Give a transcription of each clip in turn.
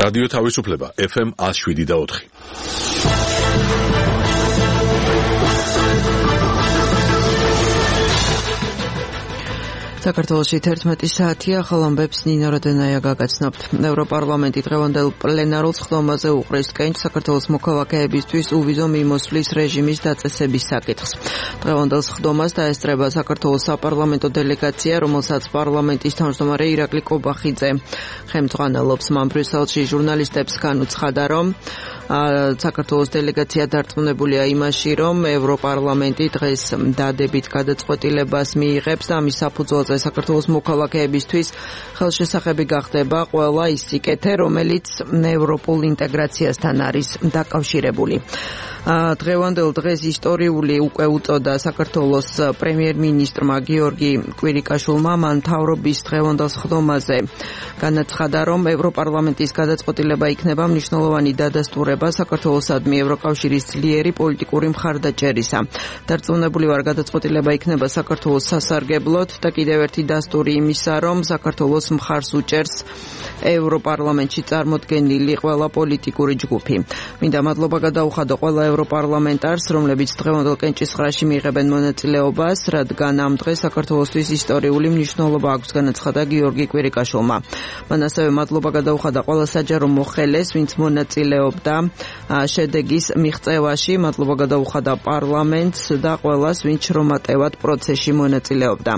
რადიო თავისუფლება FM 107.4. საქართველოში 11 საათია, ახალ ამბებს ნინო როდენაია გაგაცნობთ. ევროპარლამენტი დღევანდელ პლენარულ სხდომაზე უყრის კენჭს საქართველოს მოქალაქეებისთვის უვიზო მიმოსვლის რეჟიმის დაწესების საკითხს. დღევანდელ სხდომას დაესწრება საქართველოს საპარლამენტო დელეგაცია, რომელსაც პარლამენტის თავმჯდომარე ირაკლი კობახიძე ხელმძღვანელობს. მან ბრიუსელში ჟურნალისტებს განუცხადა, რომ საქართველოს დელეგაცია დარწმუნებულია იმაში, რომ ევროპარლამენტი დღეს დადებით გადაწყვეტილებას მიიღებს და ამის საფუძველზე საქართველოს მოქალაქეებისთვის ხელშესახები გახდება ყველა ის სიკეთე, რომელიც ევროპულ ინტეგრაციასთან არის დაკავშირებული. დღევანდელ დღეს ისტორიული უკვე უწოდა საქართველოს პრემიერ-მინისტრმა გიორგი კვირიკაშვილმა, მან მთავრობის დღევანდელ სხდომაზე განაცხადა, რომ ევროპარლამენტის გადაწყვეტილება იქნება მნიშვნელოვანი დადასტურება საქართველოსადმი ევროკავშირის ძლიერი პოლიტიკური მხარდაჭერისა. დარწმუნებული ვარ, გადაწყვეტილება იქნება საქართველოს სასარგებლოდ და კიდევ ერთი დასტური იმისა, რომ საქართველოს მხარს უჭერს ევროპარლამენტში წარმოდგენილი ყველა პოლიტიკური ჯგუფი. მინდა მადლობა გადაუხადო ყველა ევროპარლამენტარს, რომლებიც დღევანდელ კენჭისყრაში მიიღებენ მონაწილეობას, რადგან ამ დღეს საქართველოსთვის ისტორიული მნიშვნელობა აქვს, განაცხადა გიორგი კვირიკაშვილმა. მან ასევე მადლობა გადაუხადა ყველა საჯარო მოხელეს, ვინც მონაწილეობდა შედეგის მიღწევაში, მადლობა გადაუხადა პარლამენტს და ყველას, ვინც შრომატევად პროცესში მონაწილეობდა.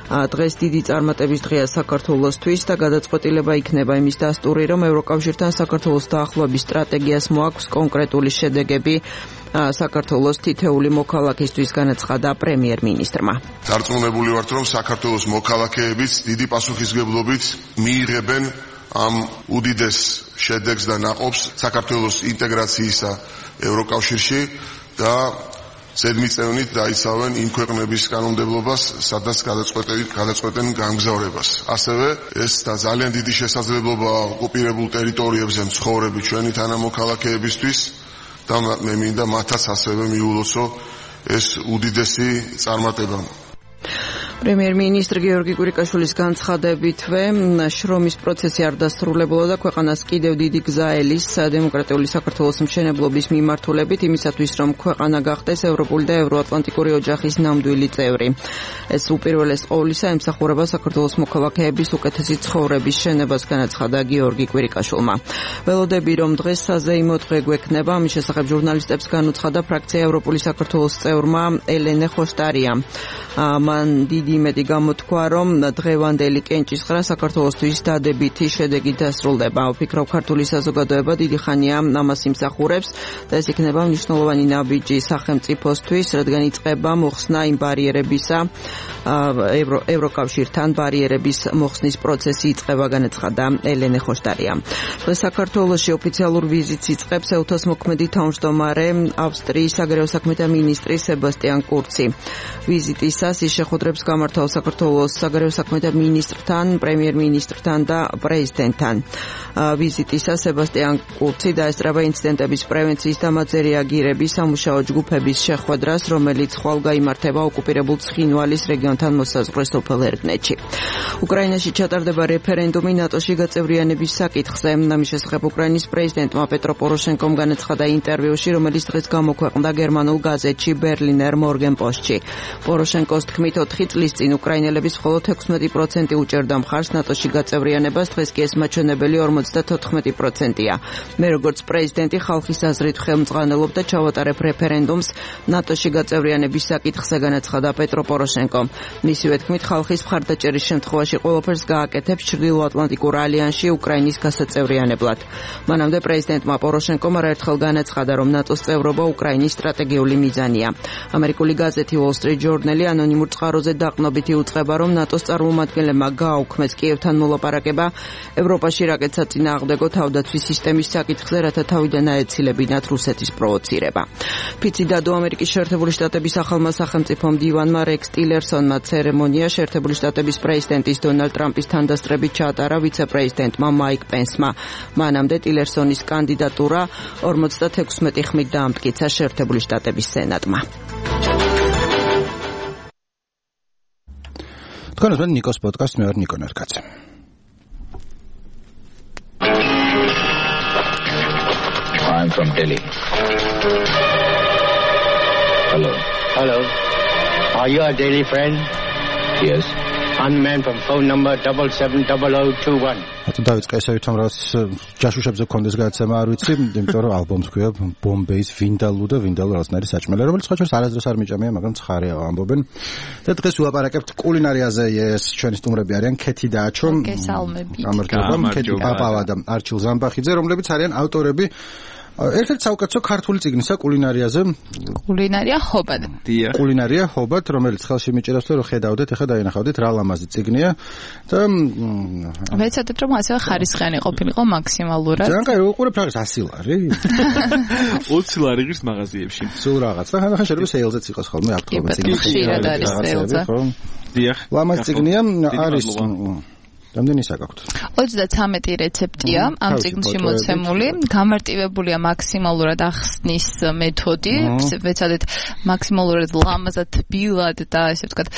დღეს დიდი წარმატების დღეა საქართველოსთვის და გადაწყვეტილება იქნება იმის დასტური, რომ ევროკავშირთან საქართველოს დაახლოების სტრატეგიას მოაქვს კონკრეტული შედეგები საქართველოს თითეული მოქალაქისთვის, განაცხადა პრემიერ-მინისტრმა. დარწმუნებული ვართ, რომ საქართველოს მოქალაქეებიც დიდი პასუხისმგებლობით მიიღებენ ამ უდიდეს შედეგს და ნაყოფს საქართველოს ინტეგრაციისა ევროკავშირში და ზედმიწევნით დაიცავენ იმ ქვეყნების კანონმდებლობას, სადაც გადაწყვეტენ გამგზავრებას. ასევე ეს და ძალიან დიდი შესაძლებლობა ოკუპირებულ ტერიტორიებზე მცხოვრები ჩვენი თანამოქალაქეებისთვის და მე მინდა მათაც ასევე მიულოცო ეს უდიდესი წარმატება. პრემიერ-მინისტრი გიორგი კვირიკაშვილის განცხადებითვე შრომის პროცესი არ დასრულებულა და ქვეყანას კიდევ დიდი გზა ელის დემოკრატიული საქართველოს მშენებლობის მიმართულებით იმისათვის, რომ ქვეყანა გახდეს ევროპული და ევროატლანტიკური ოჯახის ნამდვილი წევრი. ეს უპირველეს ყოვლისა ემსახურება საქართველოს მოქალაქეების უკეთესი ცხოვრების შენებას, განაცხადა გიორგი კვირიკაშვილმა. ველოდები, რომ დღეს საზეიმო დღე გვექნება, ამის შესახებ ჟურნალისტებს განუცხადა ფრაქცია ევროპული საქართველოს წევრმა ელენე ხოშტარიამ. მან დიდი იმედი გამოთქვა, რომ დღევანდელი კენჭისყრა საქართველოსთვის დადებითი შედეგით დასრულდება. ვფიქრობ, ქართული საზოგადოება დიდი ხანია ამას იმსახურებს და ეს იქნება მნიშვნელოვანი ნაბიჯი სახელმწიფოსთვის, რადგან იწყება მოხსნა იმ ბარიერებისა, ევროკავშირთან ბარიერების მოხსნის პროცესი იწყება, განაცხადა ელენე ხოშტარიამ. დღეს საქართველოში ოფიციალურ ვიზიტს იწყებს ეუთოს მოქმედი თავმჯდომარე ავსტრიის საგარეო საქმეთა მინისტრი სებასტიან კურცი. ვიზიტისას ის შეხვედრებს გამართავს საქართველოს საგარეო საქმეთა მინისტრთან, პრემიერ-მინისტრთან და პრეზიდენტთან. ვიზიტისას სებასტიან კურცი დაესწრება ინციდენტების პრევენციის და მათზე რეაგირების სამუშაო ჯგუფების შეხვედრას, რომელიც ხვალ გაიმართება ოკუპირებულ ცხინვალის რეგიონთან მოსაზღვრე სოფელ ერგნეთში. უკრაინაში ჩატარდება რეფერენდუმი ნატოში გაწევრიანების საკითხზე. ამის შესახებ უკრაინის პრეზიდენტმა პეტრო პოროშენკომ განაცხადა ინტერვიუში, რომელიც დღეს გამოქვეყნდა გერმანულ გაზეთში ბერლინერ მორგენპოსტში. პოროშენკოს თქმით, 4 წლის წინ უკრაინელების მხოლოდ 16% უჭერდა მხარს ნატოში გაწევრიანებას, დღეს კი ეს მაჩვენებელი 54%-ია. მე როგორც პრეზიდენტი ხალხის აზრით ხელმძღვანელობ და ჩავატარებ რეფერენდუმს ნატოში გაწევრიანების საკითხზე, განაცხადა პეტრო პოროშენკომ. მისივე თქმით, ხალხის მხარდაჭერის შემთხვევაში ყველაფერს გააკეთებს ჩრდილოატლანტიკურ ალიანსში უკრაინის გასაწევრიანებლად. მანამდე პრეზიდენტმა პოროშენკომ არაერთხელ განაცხადა, რომ ნატოს წევრობა უკრაინის სტრატეგიული მიზანია. ამერიკული გაზეთი Wall Street Journal ანონიმურ წყაროზე დაყრდნობით იუწყება, რომ ნატოს წარმომადგენლებმა გააუქმეს კიევთან მოლაპარაკება ევროპაში რაკეტსაწინააღმდეგო თავდაცვის სისტემის საკითხზე, რათა თავიდან აეცილებინათ რუსეთის პროვოცირება. ფიცი დადო ამერიკის შეერთებული შტატების ახალმა სახელმწიფო მდივანმა რექს ტილერსონმა ცერემონია შეერთებული შტატების პრეზიდენტის დონალდ ტრამპის თანდასწრებით ჩაატარა ვიცე-პრეზიდენტმა მაიკ პენსმა. მანამდე ტილერსონის კანდიდატურა 56 ხმით დაამტკიცა შეერთებული შტატების სენატმა. თქვენს მე ნიკოს პოდკასტ მე ვარ ნიკო ნერკაცე. from Delhi. Hello. Hello. Are you a Delhi friend? Yes. Unmanned from phone number 770021. დავიწყე ესე ვითომ რაც ჯაშუშებზე გქონდეს გადაცემა არ ვიცი, იმიტომ რომ ალბომს ქვია Bombay's Vindaloo და Vindaloo რაღაცნაირი საჭმელი, რომელიც სხვა ჩვენს არასდროს არ მიჭამია, მაგრამ ცხარეა ამბობენ. და დღეს ვილაპარაკებთ კულინარიაზე, ეს ჩვენი სტუმრები არიან ქეთი და აჩო. გამარჯობა, ქეთი პაპავა და არჩილ ზამბახიძე, რომლებიც არიან ავტორები ერთ-ერთი საუკეთესო ქართული წიგნისა კულინარიაზე. კულინარია ხობად. კულინარია ხობად, რომელიც ხელში მიჭირავს რომ ხედავდეთ, ახლა დაინახავდით რა ლამაზი წიგნია და ვეცადეთ რომ ასევე ხარისხიანი ყოფილიყო მაქსიმალურად. ძალიან კაი, უყურებ რაღაც 100 ლარი. 20 ლარი ღირს მაღაზიებში. სულ რაღაც. და ხან შეიძლება სეილზეც იყოს ხოლმე აქტუალური წიგნი. ხშირად არის სეილზე. დიახ. ლამაზ წიგნია არის რამდენი საკაქვთ? 33 რეცეპტია ამ წიგნში მოცემული, გამარტივებულია მაქსიმალურად ახსნის მეთოდი, ვეცადეთ მაქსიმალურად ლამაზად, ბილად და ესე ვთქვათ,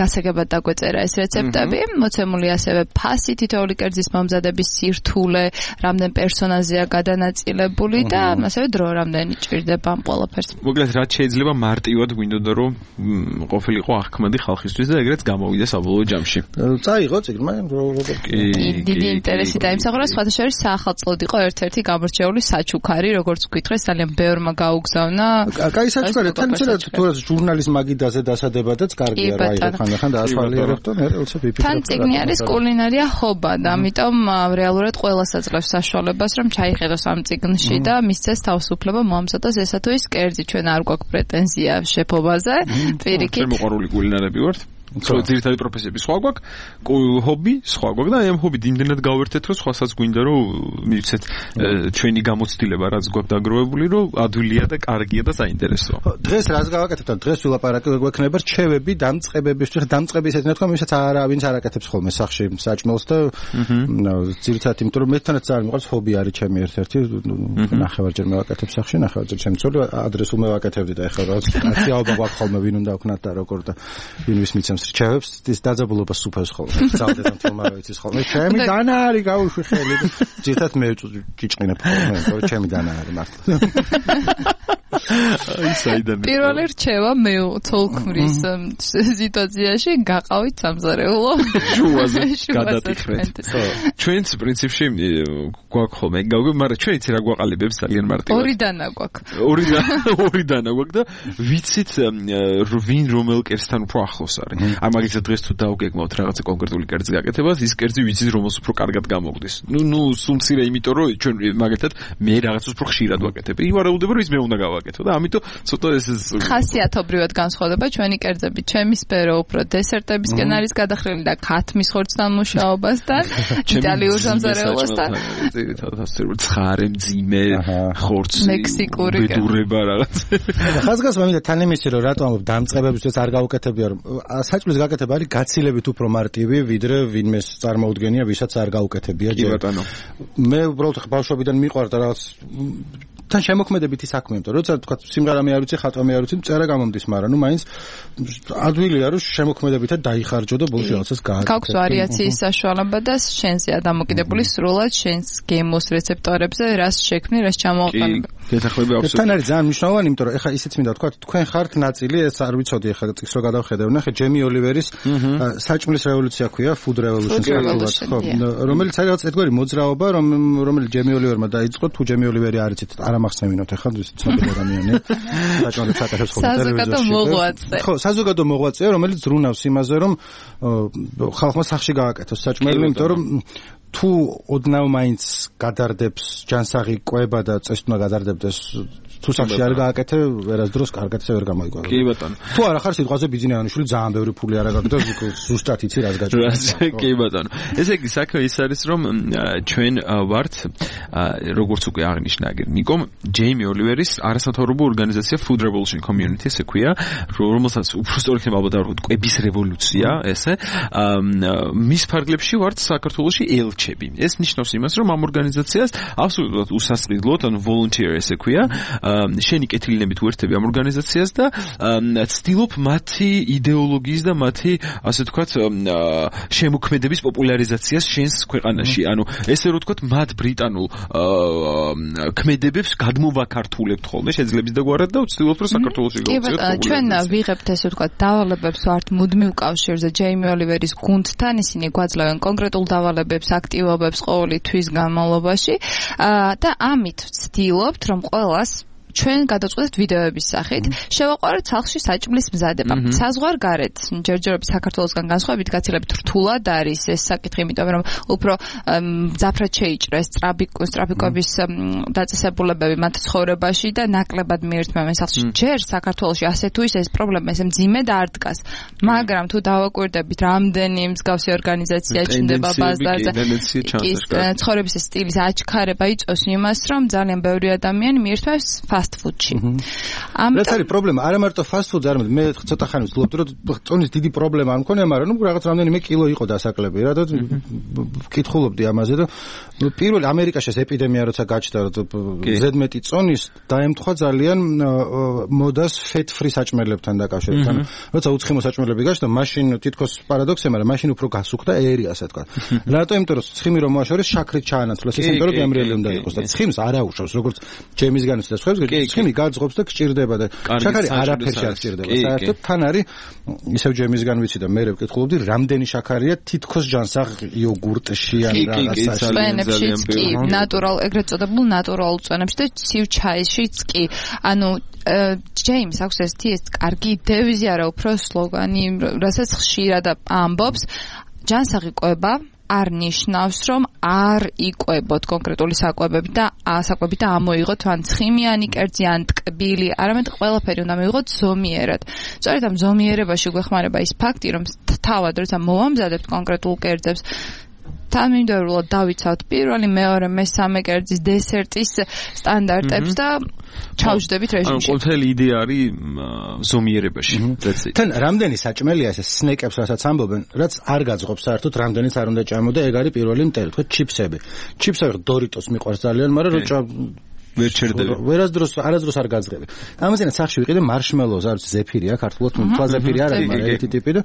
გასაგებად დაგვეწერა ეს რეცეპტები, მოცემული ასევე ფასი, თითოეული კერძის მომზადების სირთულე, რამდენ პერსონაჟია გადანაწილებული და ასევე დრო რამდენი ჭირდება ამ ყველაფერს. მოკლედ რაც შეიძლება მარტივად გვინდოდა რომ ყოფილიყო აღქმადი ხალხისთვის და ეგრეც გამოვიდა საბოლოო ჯამში. წაიღო წიგნმა დიდი ინტერესი დაიმსახურა, სხვათა შორის საახალწლოდ იყო ერთ-ერთი გამორჩეული საჩუქარი, როგორც გითხრეს, ძალიან ბევრმა გაუგზავნა. კაი საჩუქარი, თან თუ ჟურნალის მაგიდაზე დასადებადაც კარგია რა იყო ხანდახან დაასვალიერებდო, მე უცებ ვიფიქრე. თან წიგნი არის კულინარია ხობა და ამიტომ რეალურად ყველას აძლევს საშუალებას, რომ ჩაიხედოს ამ წიგნში და მისცეს თავისუფლება მოამზადოს ესა თუ ის კერძი. ჩვენ არ გვაქვს პრეტენზია შეფობაზე. პირიქით. ჩვენ მოყვარული კულინარები ვართ. ძირითადი პროფესიები სხვა გვაქვს, ჰობი სხვა გვაქვს და ამ ჰობით იმდენად გავერთეთ, რომ სხვასაც გვინდა რომ მივცეთ ჩვენი გამოცდილება, რაც გვაქვს დაგროვებული, რომ ადვილია და კარგია და საინტერესოა. დღეს რას გავაკეთებთ? დღეს ვილაპარაკებთ გვექნება რჩევები დამწყებებისთვის, დამწყების ეს ნათქვა, ვისაც ვინც არ აკეთებს ხოლმე სახში საჭმელს და ძირითადად იმიტომ რომ მე თანაც არ მიყვარს ჰობი არის ჩემი ერთ-ერთი, ნახევარჯერ მევაკეთებ სახში, ნახევარჯერ ჩემი ცოლი ადრესულ მევაკეთებდი და ეხლა რაღაც კაციაობა გვაქვს ხოლმე ვინ უნდა ვქნათ და როგორ და ვინ ვის მიცემს რჩევებს ის დაძაბულობა სუფევს ხოლმე. წავდეთ ამ თემაზე ვიცის ხოლმე. ჩემი დანა არის გაუშვი ხელი. ძირთად მე ჭიჭყინებ ხოლმე, რომ ჩემი დანა არის მართლა. აი საიდან. პირველი რჩევა მე თოლქმრის სიტუაციაში გაყავით სამზარეულო. შუაზე გადატიხრეთ. ჩვენც პრინციპში გვაქვს ხოლმე გავიგე, მაგრამ ჩვენ იცი რა გვაყალიბებს ძალიან მარტივად. ორი დანა გვაქვს. ორი დანა გვაქვს და ვიცით ვინ რომელ კერძთან უფრო ახლოს არის. არ მაგისაც დღეს თუ დავგეგმავთ რაღაცა კონკრეტული კერძი გაკეთებას, ის კერძი ვიცით რომელს უფრო კარგად გამოგვდის. ნუ სულ მცირე იმიტომ რომ ჩვენ მაგათად მე რაღაცას უფრო ხშირად ვაკეთებ. ივარაუდება რომ ის მე უნდა გავაკეთო და ამიტომ ცოტა ეს ხასიათობრივად განსხვავდება ჩვენი კერძები. ჩემი სფერო უფრო დესერტებისკენ არის გადახრილი და ქათმის ხორცთან მუშაობასთან, იტალიურ სამზარეულოსთან. ცხარე, მძიმე, ხორცი, მექსიკური ბედურება რაღაც. ხაზგასმა მინდა თან იმისი რომ რატომ ამბობ დამწყებებისთვის არ გავუკეთებია რომ საჭმლის გაკეთება არის გაცილებით უფრო მარტივი ვიდრე ვინმეს წარმოუდგენია ვისაც არ გაუკეთებია ჯერ. კი ბატონო. მე უბრალოდ ბავშვობიდან მიყვარდა რაღაც თან შემოქმედებითი საქმე, იმიტომ რომ როცა თქვა სიმღერა მე არ ვიცი, ხატვა მე არ ვიცი, წერა გამომდის, მაგრამ ნუ მაინც ადვილია რომ შემოქმედებითად დაიხარჯო და ბოლოს რაღაცას გააკეთო. გაქვს ვარიაციის საშუალება და შენზეა დამოკიდებული სრულად შენს გემოს რეცეპტორებზე, რას შექმნი, რას ჩამოაყალიბე. გეთახმები აბსოლუტურად. თან არის ძალიან მნიშვნელოვანი, იმიტომ რომ ეხლა ისიც მინდა თქვა, თქვენ ხართ ნაწილი, ეს არ ვიცოდი ეხლა წიგს რო გადავხედე, ნახე ჯემი ოლივერის საჭმლის რევოლუცია ქვია, food revolution საქართველოს, ხო, რომელიც არის რაღაც ერთგვარი მოძრაობა, რომელიც ჯემი ოლივერმა დაიწყო, თუ ჯემი ოლივერი არ იცით, არ ამახსენებინოთ ეხლა ის ცნობილი ადამიანია. საჭმელებს აკეთებს ხოლმე ტელევიზორში. ხო, საზოგადო მოღვაწეა, რომელიც ზრუნავს იმაზე, რომ ხალხმა სახში გააკეთოს საჭმელი, იმიტომ რომ თუ ოდნავ მაინც გადარდებს ჯანსაღი კვება და წესტნა გადარდებდეს თუ სახში არ გააკეთე ვერასდროს კარგად ვერ გამოიკვება. კი ბატონო. თუ არა ხარ სიტყვაზე ბიძინეანიშვილი ძალიან ბევრი ფული არ აგაგდო ზუსტად იცი რას გაჭირდება. კი ბატონო. ესე იგი საქმე ის არის რომ ჩვენ ვართ როგორც უკვე აღნიშნა აგერ ნიკომ ჯეიმი ოლივერის არასამთავრობო ორგანიზაცია Food Revolution Community ესე ქვია რომელსაც უფრო სწორ იქნება ალბათ ვთქვათ კვების რევოლუცია ესე მის ფარგლებში ვართ საქართველოში ელჩები. ეს ნიშნავს იმას რომ ამ ორგანიზაციას აბსოლუტურად უსასყიდლოდ ან volunteer ესე ქვია შენი კეთილინებით უერთები ამ ორგანიზაციას და ცდილობ მათი იდეოლოგიის და მათი ასე ვთქვათ შემოქმედების პოპულარიზაციას შენს ქვეყანაში. ანუ ესე რომ ვთქვათ მათ ბრიტანულ ქმედებებს გადმოვაქართულებთ ხოლმე შეძლებს და გვარად და ვცდილობთ რომ საქართველოში გავუწიოთ. ჩვენ ვიღებთ ესე ვთქვათ დავალებებს ვართ მუდმივ კავშირზე ჯეიმი ოლივერის გუნდთან ისინი გვაძლევენ კონკრეტულ დავალებებს აქტივობებს ყოველი თვის განმავლობაში და ამით ვცდილობთ რომ ყველას ჩვენ გადაწყვეტთ ვიდეოების სახით შევაყვაროთ სახლში საჭმლის მზადება. საზღვარგარეთ ჯერჯერობით საქართველოსგან განსხვავებით გაცილებით რთულად არის ეს საკითხი, იმიტომ რომ უფრო მძაფრად შეიჭრეს ტრაფიკების დაწესებულებები მათ ცხოვრებაში და ნაკლებად მიერთმევენ სახლში. ჯერ საქართველოში ასე თუ ისე ეს პრობლემა ესე მძიმედ არ დგას, მაგრამ თუ დავაკვირდებით რამდენი მსგავსი ორგანიზაცია ჩნდება ბაზარზე, ცხოვრების სტილის აჩქარება იწვევს იმას, რომ ძალიან ბევრი ადამიანი მიერთმევს ფასტ-ფუდში. ამიტომ არის პრობლემა, არა მარტო ფასტ-ფუდზე, არამედ მე ცოტა ხანი ვცდილობდი რომ წონის დიდი პრობლემა არ მქონია, მაგრამ ნუ რაღაც რამდენიმე კილო იყო დასაკლები რა და ვკითხულობდი ამაზე და პირველ ამერიკაში ეს ეპიდემია როცა გაჩნდა ზედმეტი წონის დაემთხვა ძალიან მოდას fat-free საჭმელებთან დაკავშირებით. ანუ როცა უცხიმო საჭმელები გაჩნდა, მაშინ თითქოს პარადოქსია, მაგრამ მაშინ უფრო გასუხდა ერი ასე თქვა. რატო? იმიტომ რომ ცხიმი რომ მოაშორეს შაქრით ჩაანაცვლეს, ის იმიტომ რომ გემრიელი უნდა იყოს და ცხიმს არ აუშავს, როგორც ჯემისგანაც და სხვებს, ცხიმი გაძღობს და გჭირდება და შაქარი არაფერში არ გჭირდება. საერთოდ თან არის ისევ ჯემისგან ვიცი და მე ვკითხულობდი, რამდენი შაქარია თითქოს ჯანსაღ იოგურტში ან რაღაცაში. კი, ნატურალ, ეგრეთ წოდებულ ნატურალურ წვენებში და ცივ ჩაიშიც კი. ანუ ჯეიმს აქვს ეს კარგი დევიზი არა უფრო სლოგანი, რასაც ხშირად ამბობს, ჯანსაღი კვება არ ნიშნავს, რომ არ იკვებოთ კონკრეტული საკვებები და ამოიღოთ ან ცხიმიანი კერძი ან ტკბილი, არამედ ყველაფერი უნდა მივიღოთ ზომიერად. სწორედ ამ ზომიერებაში გვეხმარება ის ფაქტი, რომ თავად როცა მოვამზადებთ კონკრეტულ კერძებს თანმიმდევრულად დავიცავთ პირველი, მეორე, მესამე კერძის დესერტის სტანდარტებს და ჩავჯდებით რეჟიმში. ანუ ყოველი იდეა არის ზომიერებაში. თან რამდენი საჭმელია ეს სნეკებს, რასაც ამბობენ, რაც არ გაძღობს საერთოდ, რამდენიც არ უნდა ჭამო და ეგ არის პირველი მტერი, თქვა ჩიფსები. ჩიფსები დორიტოს მიყვარს ძალიან, მაგრამ რო ვერ ჩერდები. არასდროს არ გაძღები. ამაზენა სახში ვიყიდე მარშმელოუს, არის ზეფირია, ქართულად თვა ზეფირი არ არის, მაგრამ ერთი ტიპი და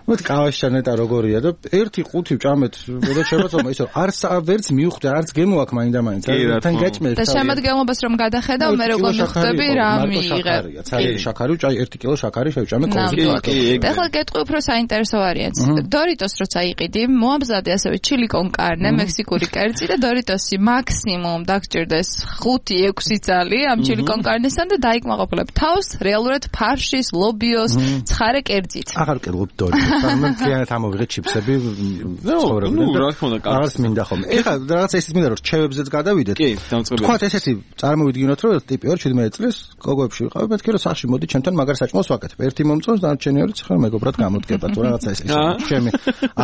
მოდი კავაში ნეტა როგორია და ერთი ყუთი ვჭამეთ და შემოწმა ისო არც ვერც მივხვდი, არც გემო აქვს მაინდა-მაინც. თან გაჭმელთ. და შემოდგომობას რომ გადახედავ, მე როგორ მივხვდები რა მიიღებ. ცალი შაქარი ვჭაი 1 კილო შაქარი შევჭამე კოლგეიტი. ეხლა გეტყვი უფრო საინტერესო ვარიანტს. დორიტოს როცა იყიდი, მოამზადე ასევე ჩილი კონ კარნე, მექსიკური კერძი და დორიტოსი მაქსიმუმ დაგჭირდეს 5-6 ძალი ამ ჩილი კონ კარნესთან და დაიკმაყოფილებ თავს რეალურად ფარშის, ლობიოს, ცხარე კერძით. აღარ ვკითხულობ დორიტოს. მე მთლიანად ამოვიღე ჩიფსები ცხოვრობდი. ნუ რა თქმა უნდა, რაღაც მინდა ხოლმე. ეხლა რაღაცა ისიც მინდა რომ რჩევებზეც გადავიდეთ. კი, დამწყებია. თქვათ ესეთი წარმოვიდგინოთ რომ ტიპი 17 წლის გოგოებში ვიყავი, მეთქი რომ სახში მოდი ჩემთან მაგარ საჭმელს ვაკეთებ. ერთი მომწონს და არჩენი ორი ცხრა მეგობრად გამოდგება თუ რაღაცა ეს ჩემი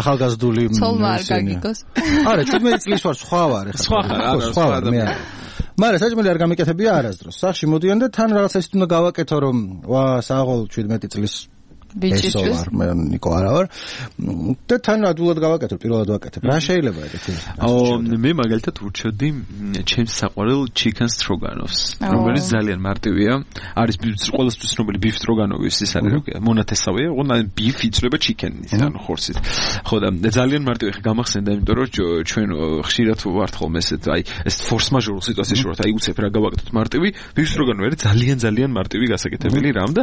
ახალგაზრდული ცოლმა არ გაგიგოს. არა, 17 წლის ვარ, სხვა ვარ ეხლა. სხვა ვარ მე. მაგრამ საჭმელი არ გამიკეთებია არასდროს. სახში მოდიან და თან რაღაცა ისეთ უნდა გავაკეთო რომ ვა საღოლ 17 წლის ბიჭისთვის მე ნიკო არა ვარ და თან ადულად გავაკეთებ, პირველად ვაკეთებ. რა შეიძლება ეგეთი? მე მაგალითად ურჩევდი ჩემს საყვარელ chicken stroganoffs, რომელიც ძალიან მარტივია. არის ყველასთვის ცნობილი beef stroganoff-ის ის არის როგორია, მონათესავეა, ოღონდ beef იწრება chicken-ის, ანუ ხორცით. ხო და ძალიან მარტივია, ხე გამახსენდა, იმიტომ რომ ჩვენ ხშირად ვართ ხოლმე ესეთ, აი ეს force majeure სიტუაციაში ვართ, აი უცებ რა გავაკეთოთ მარტივი, beef stroganoff არის ძალიან მარტივი გასაკეთებელი რამ და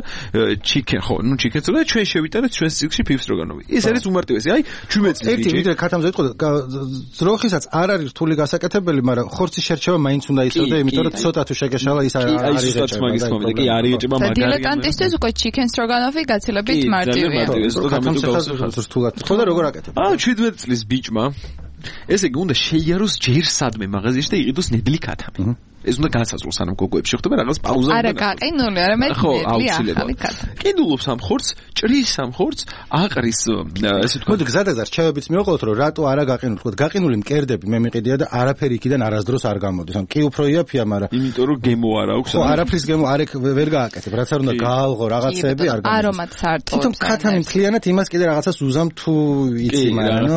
chicken, ხო, ნუ chicken და ჩვენ შევიტანეთ ჩვენს ციგში beef stroganoff. ეს არის უმარტივესი. აი 17 წლის ერთი ვიდრე ქათამზე იყო ძროხისაც არ არის რთული გასაკეთებელი, მაგრამ ხორცის შერჩევა მაინც უნდა ისწოდე, იმიტომ რომ ცოტა თუ შეგეშალა ის არ იღეჭება. მაგის თქმა კი არ იღეჭება მაგარი. დილეტანტისთვის უკვე chicken stroganoff-ი გაცილებით მარტივია. ქათამზე რთულად. ხო და როგორ აკეთებ? 17 წლის ბიჭმა ესე იგი უნდა შეიაროს ჯერ სადმე მაღაზიაში და იყიდოს ნედლი ქათამი. ეს უნდა განსაზღვროს, ანუ გოგოებში ხდება რაღაც პაუზა უნდა. არა გაყინული, არამედ ნედლი ახალი ქათამი. კიდულობს ამ ხორცს, ჭრის ამ ხორცს, აყრის ესე თქვა. მოდი გზადაგზა რჩევებიც მივყავთ, რომ რატო არა გაყინული, თქვა გაყინული მკერდები მე მიყიდია და არაფერი იქიდან არასდროს არ გამოდის. ანუ კი უფრო იაფია, მაგრამ იმიტომ რომ გემო არ აქვს. ხო, არაფრის გემო არ ვერ გააკეთებ, რაც არ უნდა გაალღო რაღაცები არ გამოდის. არომატს არ ტოვებს. თვითონ ქათამი მთლიანად იმას კიდე რაღაცას უზამ თუ იცი, მაგრამ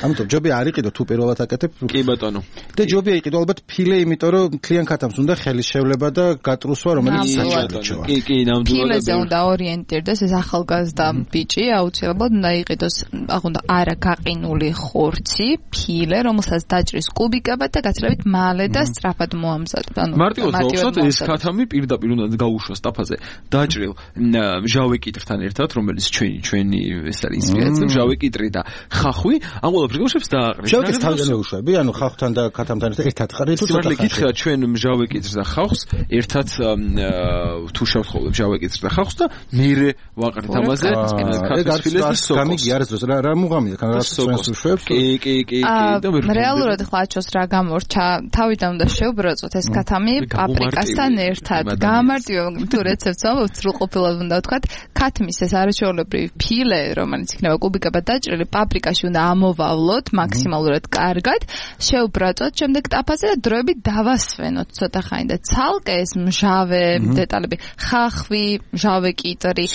ამიტომ ჯობია არ იყიდო თუ პირველად აკეთებ. კი ბატონო. და ჯობია იყიდო ალბათ ფილე, იმიტომ რომ მთლიან ქათამს უნდა ხელის შევლება და გატრუსვა, რომელიც საჭიროა. კი, ნამდვილად. ფილეზე უნდა ორიენტირდეს ეს ახალგაზრდა ბიჭი, აუცილებლად უნდა იყიდოს, უნდა არა გაყინული ხორცი, ფილე, რომელსაც დაჭრის კუბიკებად და გაცილებით მალე და სწრაფად მოამზადებს. მარტივად ვახსოვთ, ეს ქათამი პირდაპირ უნდა გაუშვას ტაფაზე დაჭრილ მჟავე კიტრთან ერთად, რომელიც ჩვენი ეს არის ინსპირაცია, მჟავე კიტრი და ხახვი, ამ ყველაფერს გუშებს დააყრეს. მჟავე კიტრს თავიდან უშვები, ანუ ხახვთან და ქათამთან ერთად ხარ თუ ცოტა ხარ. ჩვენ მჟავე კიტრს და ხახვს ერთად თუ შევხოლებ მჟავე კიტრს და ხახვს და მერე ვაყრით ამაზე ქათმის ფილეს და სოკოს. გამიგი არის დროს რა მუღამია, კანადას ჩვენს უშვებს. კი. რეალურად ხლა აჩოს რა გამორჩა, თავიდან უნდა შევბროწოთ ეს ქათამი პაპრიკასთან ერთად. გამარტივე თუ რეცეპტს ამბობთ, სრულყოფილად უნდა ვთქვათ, ქათმის ეს არაჩვეულებრივი ფილე, რომელიც იქნება კუბიკებად დაჭრილი, პაპრიკაში უნდა ამოვავლოთ მაქსიმალურად კარგად, შევბროწოთ, შემდეგ ტაფაზე და დროებით დავასვენოთ ცოტა ხანი და ცალკე ეს მჟავე დეტალები, ხახვი, მჟავე კიტრი,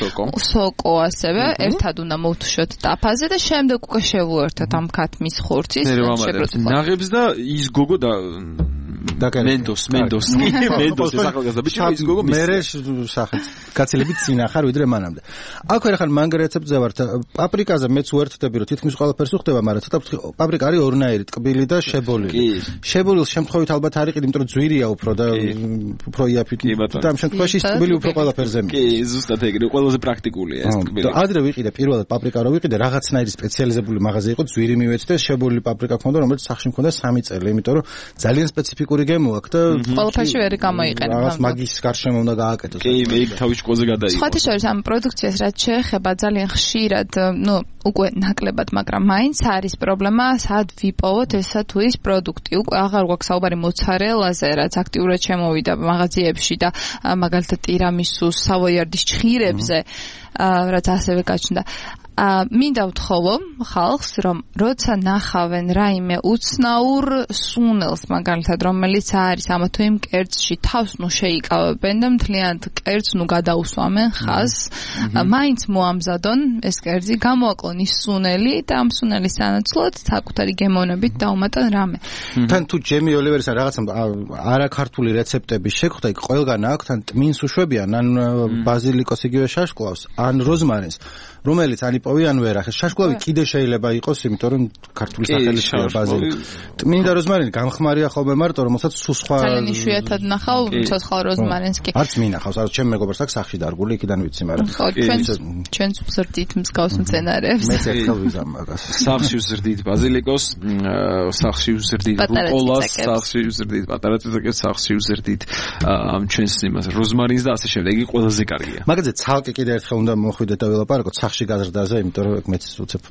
სოკო ასევე ერთად უნდა მოვთუშოთ ტაფაზე და შემდეგ უკვე შევუერთოთ ამ ქათმის ხორცის ნაღებს და ის გოგო და მენდოს ეს ახალგაზრდა ბიჭი ის გოგო მერე სახით გაცილებით წინა ხარ ვიდრე მანამდე. აქვე რა ხან მანგ რეცეპტზე ვართ. პაპრიკაზე მეც უერთდები რომ თითქმის ყველაფერს უხდება, მაგრამ ცოტა პაპრიკა არის ორნაირი, ტკბილი და შებოლილი. შებოლილ შემთხვევით ალბათ არ იყიდი, იმიტომ რომ ძვირია უფრო და უფრო იაფით და ამ შემთხვევაში ტკბილი უფრო ყველაფერზე. კი, ზუსტად ეგრე, ყველაზე პრაქტიკულია ეს ტკბილი. ადრე ვიყიდე პირველად პაპრიკა რო ვიყიდე, რაღაცნაირი სპეციალიზებული მაღაზია იყო, ძვირი მივეცი და შებოლილი პაპრიკა ქონდა, რომელიც სახში მქონდა 3 წელი, იმიტომ რომ ძალიან სპეციფიკური გემო აქვს და ყველაფერში ვერ გამოიყენება. რაღაც მაგის გარშემო უნდა გააკეთოს. კი, მე იქ თავის школზე გადაიღო. სხვათა შორის ამ პროდუქციას რაც შეეხება ძალიან ხშირად, უკვე ნაკლებად, მაგრამ მაინც არის პრობლემა, სად ვიპოვოთ ესა თუ ის პროდუქტი. უკვე აღარ გვაქვს საუბარი მოცარელაზე, რაც აქტიურად შემოვიდა მაღაზიებში და მაგალითად ტირამისუს, სავოიარდის ჭხირებზე, რაც ასევე გაჩნდა. მინდა ვთხოვო ხალხს, რომ როცა ნახავენ რაიმე უცნაურ სუნელს, მაგალითად, რომელიც არის ამა თუ იმ კერძში, თავს შეიკავებენ და მთლიანად კერძს გადაუსვამენ ხაზს, მაინც მოამზადონ ეს კერძი, გამოაკლონ ის სუნელი და ამ სუნელის სანაცვლოდ საკუთარი გემოვნებით დაუმატონ რამე. თან თუ ჯემი ოლივერის რაღაცა არაქართული რეცეპტები შეგხვდა, იქ ყველგან აქვს, თან ტმინს უშვებიან, ან ბაზილიკოს იგივე შაშკლავს, ან როზმარინს, რომელიც ანიპოვიან ვერ ახეს. შაშკლავი კიდე შეიძლება იყოს, იმიტომ რომ ქართული სახელია ბაზილი. მინდა როზმარინი გამხმარია ხოლმე მარტო, რომელსაც სულ სხვა ძალიან იშვიათად ნახავ ცოცხალ როზმარინს კი. არც მინახავს, არც ჩემ მეგობარს აქვს სახში დარგული, იქიდან ვიცი, მაგრამ ჩვენს ვზრდით მსგავს მცენარეებს. მეც ერთხელ ვიზამ მაგას. სახში ვზრდით ბაზილიკოს, სახში ვზრდით რუკოლას, სახში ვზრდით პატარა წიწაკებს, სახში ვზრდით ამ ჩვენს იმას როზმარინს და ასე შემდეგ. იგი ყველაზე კარგია. მაგაზე ცალკე კიდე ერთხელ უნდა მოხვიდეთ და ველაპარაკოთ სახში გაზრდაზე, იმიტომ რომ მეც უცებ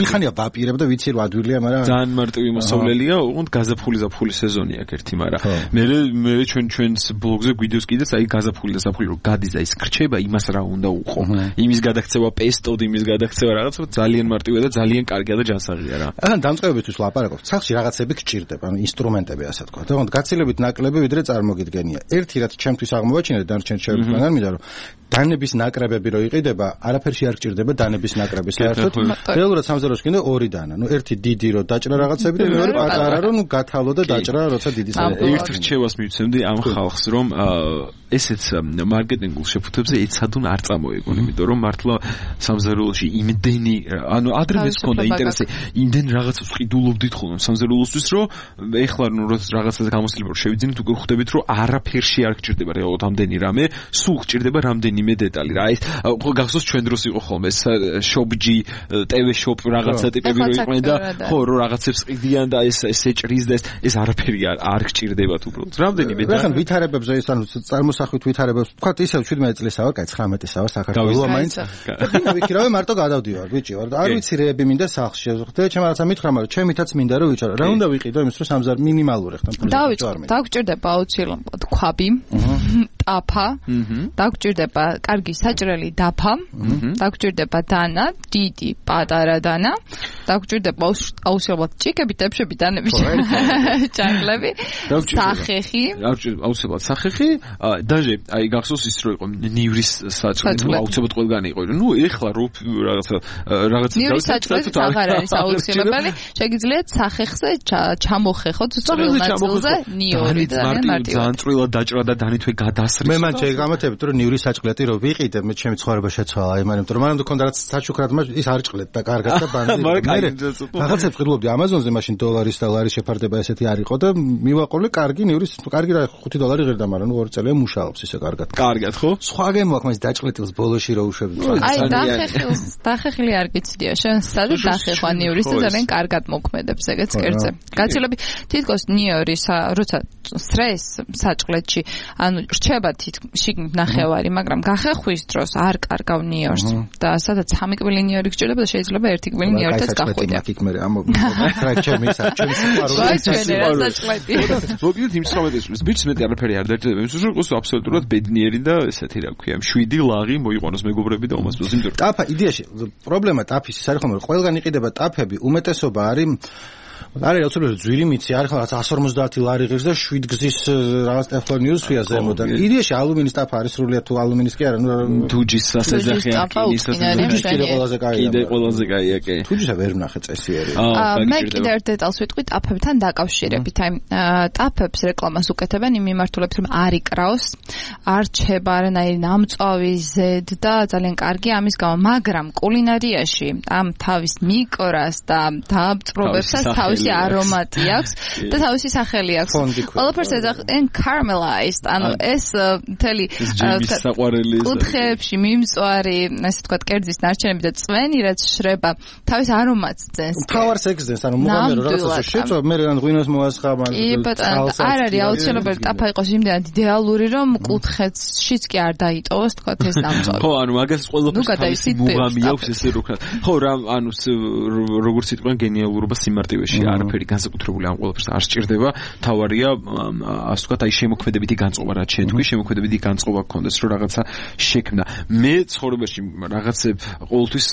ხანია ვაპირებ და ვიცი რომ ადვილია, მაგრამ ძალიან მარტივი მოსავლელია, უყურთ გაზაფხული სეზონია ერთი, მაგრამ მე ჩვენს ბლოგზე გვიდევს კიდეც აი გაზაფხული და საფხული რომ გადის და ის ხრჩება, იმას რა უნდა უყო. იმის გადაქცევა პესტოდ, იმის გადაქცევა რაღაც ძალიან მარტივია და ძალიან კარგია და ჯანსაღია რა. ახლა დამწყებებისთვის ლაპარაკობთ. სახში რაღაცები გჭირდება, ანუ ინსტრუმენტები ასე თქვა. თქო, გაცილებით ნაკლები ვიდრე წარმოგიდგენია. ერთი რაც ჩემთვის აღმოვაჩინე და დანარჩენ შეერთებთან მინდა რომ დანების ნაკრებები რო იყიდება, არაფერში არ გჭირდება დანების ნაკრები საერთოდ. რეალურად სამზარეულოში კიდე ორი დანა. ერთი დიდი რო დაჭრა რაღაცები და მეორე პატარა რო გათავლო და დაჭრა როცა დიდი საერთოდ. ერთ რჩევას მივცემდი ამ ხალხს, რომ ესეც მარკეტინგულ შეფუთებზე ეცადონ არ წამოეგონ, იმიტომ რომ მართლა სამზარეულოში იმდენი, ანუ ადრე მეც მქონდა ინტერესი, იმდენ რაღაცას ყიდულობდით ხოლმე სამზარეულოსთვის, რომ ეხლა როცა რაღაცაზე გამოსილება რომ შევიძინეთ, უკვე ხვდებით, რომ არაფერში არ გჭირდება რეალურად ამდენი რამე, სულ გჭირდება რამდენიმე დეტალი. რა ის გახსოვს ჩვენ დროს იყო ხოლმე შოპჯი, TV shop რაღაცა ტიპები რო იყვნენ და ხო რო რაღაცებს ყიდიან და ეს ეჭრის და ეს არაფერი არ გჭირდებათ უბრალოდ. რამდენიმე და ხან ვითარებებზე ეს ანუ წარმოსახვით ვითარებებს თქვა ისევ 17 წლისაა, კაი 19-ისაა საქართველოს მაინც. და ვიქირავე მარტო გადავდივარ, ბიჭი ვარ და არ ვიცი რეები მინდა სახლში შევხვდე, ჩემ რაღაცა მითხრა, მაგრამ ჩემითაც მინდა რომ ვიჭარო. რა უნდა ვიყიდო იმის რომ 3,000 მინიმალური ხთან ფული. დავიწყო, დაგჭირდება აუცილებლად ქვაბი. ტაფა, დაგჭირდება კარგი საჭრელი დაფა, დაგჭირდება დანა, დიდი, პატარა დანა, დაგჭირდება აუცილებლად ჭიქები, ტეფშები, დანები, ჭანკლები, სახეხი. აუცილებლად სახეხი, დაჟე, აი გახსოვს ის რო იყო ნივრის საჭრელი, აუცილებლად ყველგან იყო. ნუ ეხლა რაღაცა ნივრის საჭრელი აღარ არის აუცილებელი, შეგიძლიათ სახეხზე ჩამოხეხოთ წვრილ ნაწილზე ნიური და ძალიან წვრილად დაჭრა და დანითვე გადასრეს. მე მან შეგამათებთ რომ ნივრის საჭრელი რო ვიყიდე, მე ჩემი ცხოვრება შეცვალა, აი მაგრამ რომ მანამდე მქონდა რაც საჩუქრად ის არ ჭყლეთ და კარგად და ბანდი. რაღაცებს ყიდულობდი Amazon-ზე მაშინ დოლარის და ლარის შეფარდება ესეთი არ იყო და მივაყოლე კარგი ნივრის, კარგი რა $5 ღირდა, მაგრამ ნუ 2 წელია მუშაობს ისე კარგად. კარგად ხო? სხვა გემო აქვს მაგის დაჭყლეტილს ბოლოში რო უშვები. აი დახეხილი არ გიცდია შენ სადაც დახეხვა ნივრის და ძალიან კარგად მოქმედებს ეგეც კერძზე. გაცილები თითქოს ნიორის როცა სტრეს საჭყლეთში ანუ რჩება შიგნით ნახევარი, მაგრამ გახეხვის დროს არ კარგავ ნიორს და სადაც 3 კბილი ნიორი გჭირდება და შეიძლება 1 კბილი ნიორიც გახვიდე. მოგიდეთ იმ 19 წლის ბიჭს მეტი არაფერი არ დაჭირდება იმის რომ იყოს აბსოლუტურად ბედნიერი და ესეთი რა ქვია 7 ლაღი მოიყვანოს მეგობრები და უმასპინძლა იმიტომ ტაფა იდეაში პრობლემა ტაფის ის არის ხომ რომ ყველგან იყიდება ტაფები უმეტესობა არის არის აუცილებლად ძვირი მიცი არის ხო 150 ლარი ღირს და 7 გზის რაღაც ტეფლონიუსია ზემოდან იდეაში ალუმინის ტაფა არის სრულიად თუ ალუმინის კი არა ნუ თუჯის სასეძახიან თუჯის ყველაზე კაია კიდე ყველაზე კაია კი თუჯისა ვერ ვნახე წესიერი მე კიდე ერთ დეტალს ვიტყვი ტაფებთან დაკავშირებით აი ტაფებს რეკლამას უკეთებენ იმ მიმართულებით რომ არ იკრავს არ რჩება არანაირი ნამწვავი ზედ და ძალიან კარგი ამის გამო მაგრამ კულინარიაში ამ თავის მიკრას და დააბწრობებსაც თავისი არომატი აქვს და თავისი სახელი აქვს. ყველაფერს ეძახენ caramelized, ანუ ეს მთელი კუთხეებში მიმწვარი, ასე ვთქვათ, კერძის ნარჩენები და წვენი, რაც შრება, თავის არომატს ძენს. თავარს ეგზენს, ანუ მოგამერო რაღაცა შეწვა, მე რან ღვინოს მოასხამან. არ არის აუცილებელი ტაფა იყოს იმდენად იდეალური, რომ კუთხეშიც კი არ დაიტოვოს, თქვათ ეს ნამწვავი. ხო, ანუ მაგას ყველაფერს მუღამი აქვს ესე რო ვქნათ. ხო, რა, ანუ როგორც იტყვიან გენიალურობა სიმარტივეში არაფერი განსაკუთრებული ამ ყველაფერს არ სჭირდება. თავარია, ასე ვთქვათ, აი შემოქმედებითი განწყობა რაც შენ თქვი, შემოქმედებითი განწყობა გქონდეს, რომ რაღაცა შექმნა. მე ცხოვრებაში რაღაცებ ყოველთვის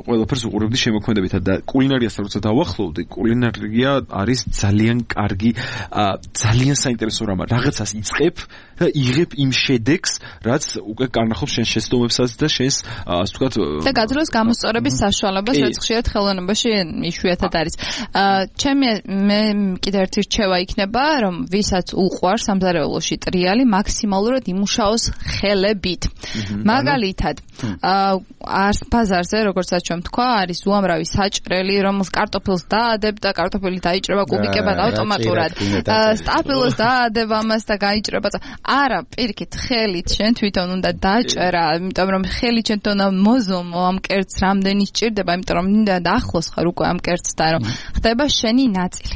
ყველაფერს უყურებდი შემოქმედებითად და კულინარიასთან როცა დავახლოვდი, კულინარია არის ძალიან კარგი, ძალიან საინტერესო რამ. რაღაცას იწყებ და იღებ იმ შედეგს, რაც უკვე კარნახობს შენ შეცდომებსაც და შენს, ასე ვთქვათ, და გაძლევს გამოსწორების საშუალებას, რაც ხშირად ხელოვნებაში იშვიათად არის. მე კიდევ ერთი რჩევა იქნება, რომ ვისაც უყვარს სამზარეულოში ტრიალი, მაქსიმალურად იმუშაოს ხელებით. მაგალითად, ბაზარზე, როგორც ჩვენ თქვა, არის უამრავი საჭრელი, რომელს კარტოფილს დაადებ და კარტოფილი დაიჭრება კუბიკებად ავტომატურად. სტაფილოს დაადებ ამას და გაიჭრება. არა, პირიქით, ხელით შენ თვითონ უნდა დაჭერა, იმიტომ რომ ხელით შენ თვითონ მოზომო ამ კერძს რამდენი სჭირდება, იმიტომ რომ ნინდა ახლოს ხარ უკვე ამ კერძთან, რომ ხდება შენი ნაწილი.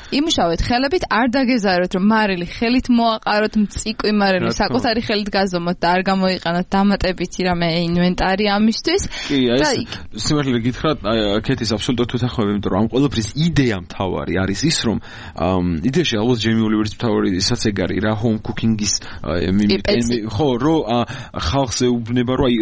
იმუშავეთ ხელებით, არ დაგეზაროთ რომ მარილი ხელით მოაყაროთ, მწიკვი მარილი საკუთარი ხელით გაზომოთ და არ გამოიყენოთ დამატებითი რამე ინვენტარი ამისთვის. კი, აი სიმართლე გითხრათ, კეთის აბსოლუტურად თვითახმები, იმიტომ რომ ამ ყველაფრის იდეა მთავარი არის ის, რომ იდეაში ალბათ ჯემი ოლივერის მთავარი ისაც ეგ არის რა, home cooking-ის ხო, რომ ხალხს ეუბნება, რომ აი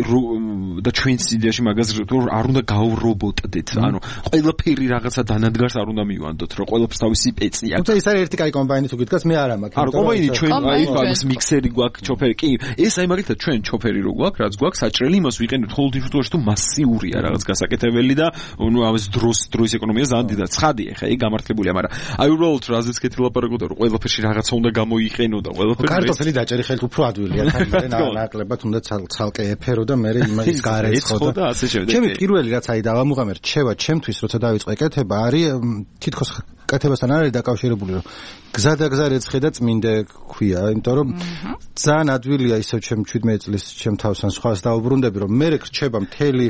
და ჩვენს იდეაში მაგას რომ არ უნდა გავრობოტდეთ, ანუ ყველაფერი რაღაცა დანადგარს არ უნდა მივანდოთ, რომ ყველაფერს თავისი პეცი აქვს. თუმცა ის არის ერთი კაი კომბაინი თუ გითხრათ, მე არა მაქვს. არა, კომბაინი ჩვენ აი მაგის მიქსერი გვაქვს, ჩოფერი. კი, ეს აი მაგალითად ჩვენ ჩოფერი რო გვაქვს, რაც გვაქვს საჭრელი, იმას ვიყენებთ ხოლმე იმ შემთხვევაში თუ მასიურია რაღაც გასაკეთებელი და ნუ ამას დროის ეკონომია ძალიან დიდად. ცხადია, ხა ეგ გამართლებულია, მაგრამ აი უბრალოდ რაზეც კეთი ლაპარაკობდა, რომ ყველაფერში რაღაცა უნდა გამოიყენო და ყველაფერი კარტოფილი დაჭერი ხელით უფრო ადვილია, თან ნაკლებად უნდა ცალკე ეფერო და მე იმის გარეცხო და ასე შემდეგ. ჩემი პირველი რაც აი დავამუღამე რჩევა ჩემთვის, როცა დავიწყე კეთება, არის თითქოს კეთებასთან არის დაკავშირებული, რომ გზადაგზა რეცხე და წმინდე ქვია, იმიტომ რომ ძალიან ადვილია ისევ ჩემ 17 წლის ჩემ თავსან სხვას დაუბრუნდები, რომ მე რჩება მთელი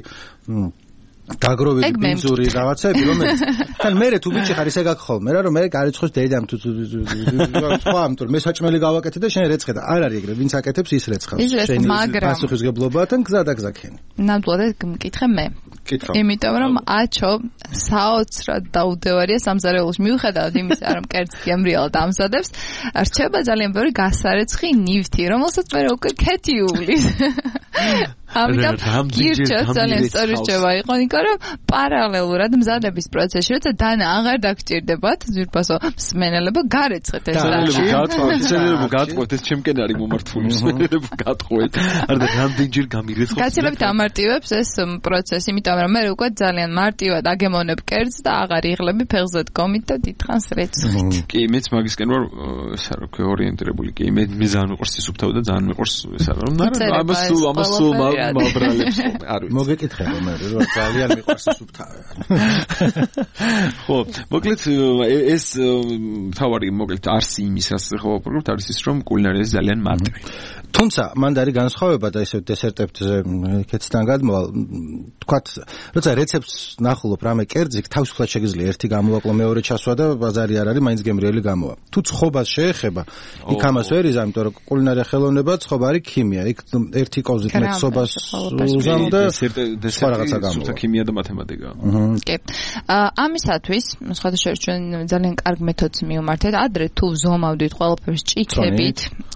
დაგროვილი ბინძური რაღაცები, რომელიც თან მე თუ ბიჭი ხარ ისე გაგხოლმე რა, რომ მე გარიცხოს დედამ თუ სხვა ამიტომ მე საჭმელი გავაკეთე და შენ რეცხე და არ არის ეგრე, ვინც აკეთებს ის რეცხავს. შენი პასუხისგებლობათან გზადაგზა ქენი. ნამდვილად მკითხე მე. იმიტომ რომ აჩო საოცრად დაუდევარია სამზარეულოს მიუხედავად იმისა, რომ კერძი გემრიელად ამზადებს, რჩება ძალიან ბევრი გასარეცხი ნივთი, რომელსაც მე უკვე ქეთი უვლის. ამიტომ გირჩევთ ძალიან სწორი რჩევა იყო, იმიტომ რომ პარალელურად მზადების პროცესში, როცა დანა აღარ დაგჭირდებათ, ძვირფასო მსმენელებო გარეცხეთ ეს შეიძლება გატყვეთ ეს ჩემკენ არის მომართული მსმენელებო გატყვეთ. არა რამდენჯერ გამირეცხოთ. გაცილებით ამარტივებს ეს პროცესი, იმიტომ რომ მე უკვე ძალიან მარტივად აგემონებ კერძს და აღარ იღლები ფეხზე დგომით და დიდხანს რეცხით. კი, მეც მაგისკენ ვარ, ესა რა ქვია, ორიენტირებული. კი, მე ძალიან მიყვარს ის უფთავი და ძალიან მიყვარს ესა რომ ამას მაბრალებს არის. მოგეკითხება მე რომ ძალიან მიყვარს ის უფთავი. ხო, მოკლედ ეს თავარი მოკლედ არსი იმის რაც ხო ვაპრობთ არის ის რომ კულინარია ძალიან მარტივი. თუმცა მანდ არის განსხვავება და ესე დესერტებზე კეთიდან გადმოვალ თქვათ როცა რეცეპტს ნახულობ რამე კერძი თავისუფლად შეგიძლია ერთი გამოვაკლო მეორე ჩასვა და ბაზარი არ არის მაინც გემრიელი გამოვა. თუ ცხობას შეეხება იქ ამას ვერ იზამ, იმიტომ რომ კულინარია ხელოვნება ცხობა არის ქიმია. იქ ერთი კოვზით მეცობას უზამ და სხვა რაღაცა გამოვა. ქიმია და მათემატიკა. კი. ამისათვის სხვადასხვა ჩვენ ძალიან კარგ მეთოდს მივმართეთ. ადრე თუ ვზომავდით ყველაფერს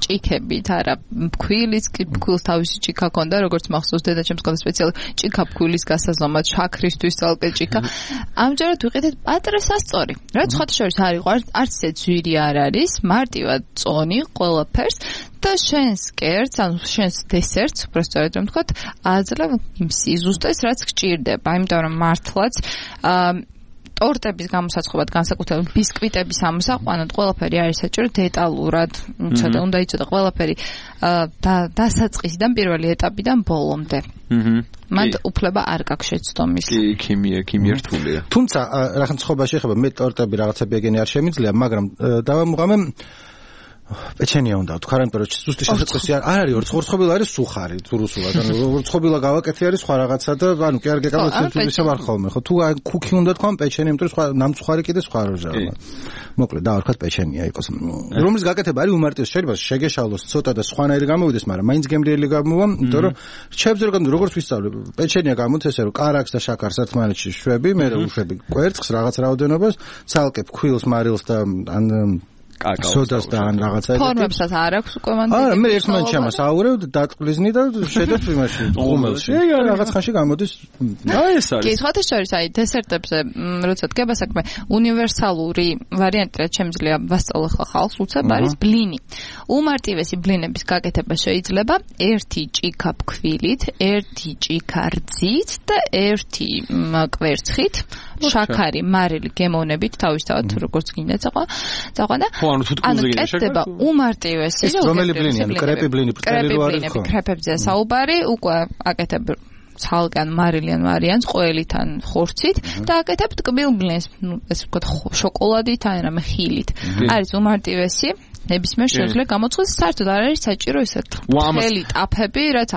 ჭიქებით, არა ფქვილის ფქვილს თავისი ჭიქა ქონდა, როგორც მახსოვს დედაჩემს ქონდა სპეციალური ჭიქა ფქვილის გასაზომად, შაქრისთვის ცალკე ჭიქა. ამჯერად ვიყიდეთ პატრე სასწორი. რაც სხვადასხვა არის, არც ეს ძვირი არ არის, მარტივად წონი ყველაფერს და შენს კერძს, ანუ შენს დესერტს, უბრალოდ რომ თქვათ, აძლევ იმ სიზუსტეს, რაც გჭირდება, იმიტომ რომ მართლაც ტორტების გამოსაცხობად განსაკუთრებით ბისკვიტების ამოსაყვანად ყველაფერი არის საჭირო დეტალურად, უნდა იცოდე ყველაფერი დასაწყისიდან პირველი ეტაპიდან ბოლომდე. მანდ უფლება არ გაქვს შეცდომის. კი, ქიმია რთულია. თუმცა რახან ცხობა შეეხება მე ტორტები რაღაცები ეგენი არ შემიძლია, მაგრამ დავამუღამე პეჩენია უნდა თქვა, იმიტომ რომ ზუსტი შესაძლებელი არ არის, ორცხობილა არის სუხარი, თუ რუსულად, ანუ ორცხობილა გავაკეთე არის სხვა რაღაცა და ანუ კი არ გეკავეთ ისე ვარ ხოლმე, ხო? თუ ქუქი უნდა თქვა, პეჩენი, იმიტომ რომ სხვა ნამწუხარი კიდე სხვა როჟაა. მოკლედ დავარქვათ პეჩენია იყოს. რომლის გაკეთება არის უმარტივესი, შეიძლება შეგეშალოს ცოტა და სხვანაირი გამოვიდეს, მაგრამ მაინც გემრიელი გამოვა, იმიტომ რომ რჩევებს როგორც ვისწავლე, პეჩენია გამოდის ესე რომ კარაქს და შაქარს ერთმანეთში შვები, მე უშვები კვერცხს რაღაც რაოდენობას, ცალკე ფქვილს, მარილს და ან სოდას და ან რაღაცა ეგეთი. ფორმებსაც არ აქვს უკვე მანდ. არა, მე ერთმანეთში ამას აურევ და დატყლიზნი და შედებ იმაში ღუმელში. რაღაც ხანში გამოდის. აი ეს არის. კი, სხვადასხვა აი დესერტებზე, როცა დგება საქმე, უნივერსალური ვარიანტი რაც შემიძლია ვასწავლო ხალხს, უცებ არის ბლინი. უმარტივესი ბლინების გაკეთება შეიძლება ერთი ჭიქა ფქვილით, ერთი ჭიქა რძით და ერთი კვერცხით. შაქარი, მარილი გემოვნებით თავისთავად როგორც გინდა წაყვანა. ანუ თუ თქუზე გინდა კეთდება უმარტივესი და რომელი ბლინი, კრეპი ბლინი, წერილი არის ხო? კრეპებზე საუბარი, უკვე აკეთებ ცალკენ მარილიან ვარიანტს ყველით ან ხორცით და აკეთებ ტკბილ ბლინს, ესე ვთქვათ შოკოლადით ან რამე ხილით. არის უმარტივესი ნებისმიერ შეუძლია გამოწყდეს საერთოდ არ არის საჭირო ისეთ მთელი ტაფები, რაც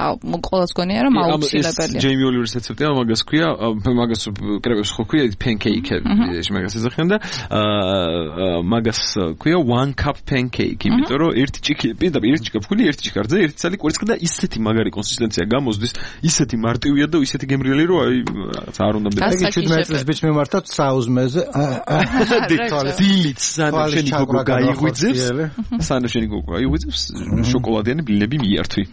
ყოველს გონია რომ აუცილებელია. ჯეიმი ოლივერის რეცეპტია, მაგას ქვია, მაგას კრეპებს ხო ქვია pancake-ები, მაგას ეზახიან და მაგას ქვია 1 cup pancake, იმიტომ რომ ერთი ჭიქი, პირდაპირ ერთი ჭიქა ფქული, ერთი ჭიქა რძე, ერთი ცალი კვერცხი და ისეთი მაგარი კონსისტენცია გამოსდის, ისეთი მარტივია და ისეთი გემრიელი რომ აი რაღაც არ უნდა ეგ 17 წლის ბიჭს მიმართავთ საუზმეზე. დილით სანამ შენი გოგო გაიღვიძებს სანამ შენი გოგო აიღვიძებს შოკოლადიანი ბლინები მიართვი.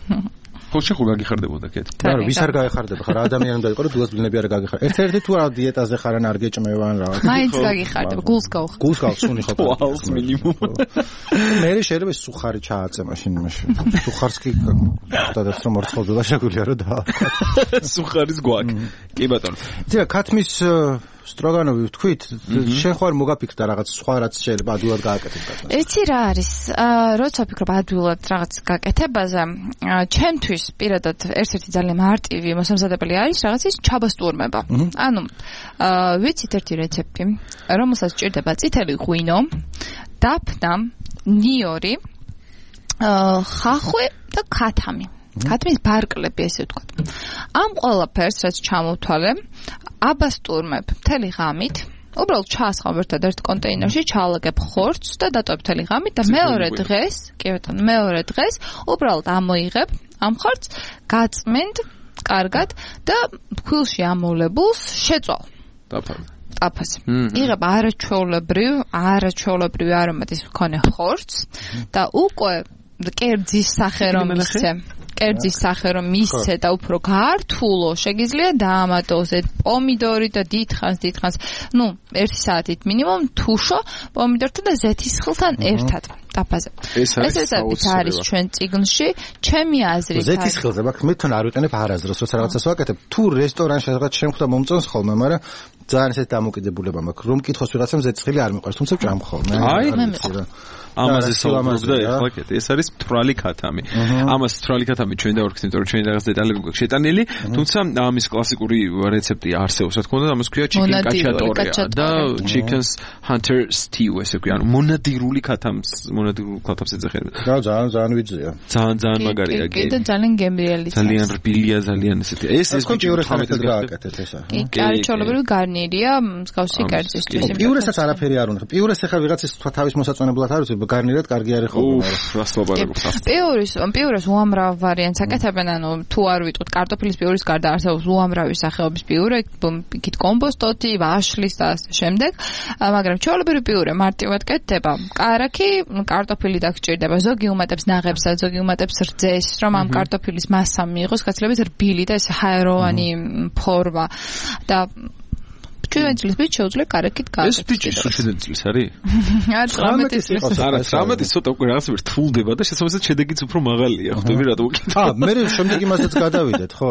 ხო შეხო გაგიხარდებოდა კეთ. არა, ვის არ გაგიხარდება ხარ, ადამიანი უნდა იყოს, რომ დილას ბლინები არ გაგიხარ. ერთ-ერთი თუ არა დიეტაზე ხარ ან არ გეჭმევა ან რაღაც. მაინც გაგიხარდება, გულს გავხარ. გულს გავხსუნი ხო. ვაუს მინიმუმ. მე შეიძლება სუხარი ჩააწე მაშინ იმაში. სუხარს კი დადებს რომ ორცხობილა შეგვიძლია რომ დააყოთ. სუხარის გვაქვს. კი ბატონო. იცი რა, ქათმის სტროგანოვი ვთქვით, შენ ხარ მოგაფიქრდა რაღაც სხვა რაც შეიძლება ადვილად გააკეთებ კაცს. იცი რა არის? როცა ვფიქრობ ადვილად რაღაც გაკეთებაზე, ჩემთვის პირადად ერთ-ერთი ძალიან მარტივი მოსამზადებელი არის რაღაცის ჩაბასტურმება. ანუ ვიცით ერთი რეცეპტი, რომელსაც ჭირდება წითელი ღვინო, დაფნა, ნიორი, ხახვი და ქათამი. ქათმის ბარკლები ესე ვთქვათ. ამ ყველაფერს რაც ჩამოვთვალე, აბასტურმებ მთელი ღამით. უბრალოდ ჩაასხავ ერთად ერთ კონტეინერში, ჩაალაგებ ხორცს და დატოვებ მთელი ღამით და მეორე დღეს, კი ბატონო, მეორე დღეს უბრალოდ ამოიღებ ამ ხორცს, გაწმენდ, კარგად და ფქვილში ამოვლებულს შეწვალ. ტაფას. იღებ არაჩვეულებრივი არომატის მქონე ხორცს და უკვე კერძის სახე რომ მისცე და უფრო გართულო შეგიძლია დაამატოს პომიდორი და დიდხანს, 1 საათით მინიმუმ თუშო პომიდორთან და ზეთისხილთან ერთად. ტაფაზე. ეს არის ჩვენ წიგნში, ჩემი აზრით. ზეთისხილზე მაგ მე თან არ ვიყენებ არასდროს, როცა რაღაცას ვაკეთებ. თუ რესტორანში რაღაც შემხვდა მომწონს ხოლმე, მაგრამ ძალიან ესეთ დამოკიდებულება მაქვს. რომ მკითხოს ვიღაცამ ზეთისხილი არ მიყვარს, თუმცა ჭამ ხოლმე. ამაზე საუბრობდა ეხლა კეთ. ეს არის მთვრალი ქათამი. ამას მთვრალი ქათამი ჩვენ დავარქეთ, იმიტომ რომ ჩვენ რაღაც დეტალები გვაქვს შეტანილი, თუმცა ამის კლასიკური რეცეპტი არსებობს, რა თქმა უნდა, ამას ქვია chicken cacciatore და chicken's hunter stew, ესე ქვია, ანუ მონადირული ქათამს ეძახება. და ძალიან ვიძია. ძალიან მაგარია. კიდე ძალიან გემრიელი. ძალიან რბილია, ძალიან ესეთი. ეს პიურეს ხარეთად გააკეთეთ ესა. კი, არჩეულებრივი გარნირია, მსგავსი კერძისთვის. პიურესაც არაფერი არ უნდა. პიურეს ახლა ვიღაცის თქვა თავის მოსაწონებლად არ ვიცი, გარნირად კარგი არის ხოლმე. პიურეს უამრავ ვარიანტს აკეთებენ, ანუ თუ არ ვიტყვით კარტოფილის პიურის გარდა არსებობს უამრავი სახეობის პიურე, იქით კომპოსტოთი, ვაშლის და ასე შემდეგ, მაგრამ ჩვეულებრივი პიურე მარტივად კეთდება. კარაქი, კარტოფილი დაგჭირდება, ზოგი უმატებს ნაღებსა, ზოგი უმატებს რძეს, რომ ამ კარტოფილის მასა მიიღოს გაცილებით რბილი და ეს ჰაეროვანი ფორმა და ჩვენ წლის ბიჭ შეუძლია კარაქით გააკეთოს. ეს ბიჭი ჩვენ წლის არის? არა, 19 წლის. არა, 19 ცოტა უკვე რაღაცა რთულდება და შესაბამისად შედეგიც უფრო მაღალია, ხვდები რატო უკითხე. მე შემდეგ იმასაც გადავიდეთ, ხო?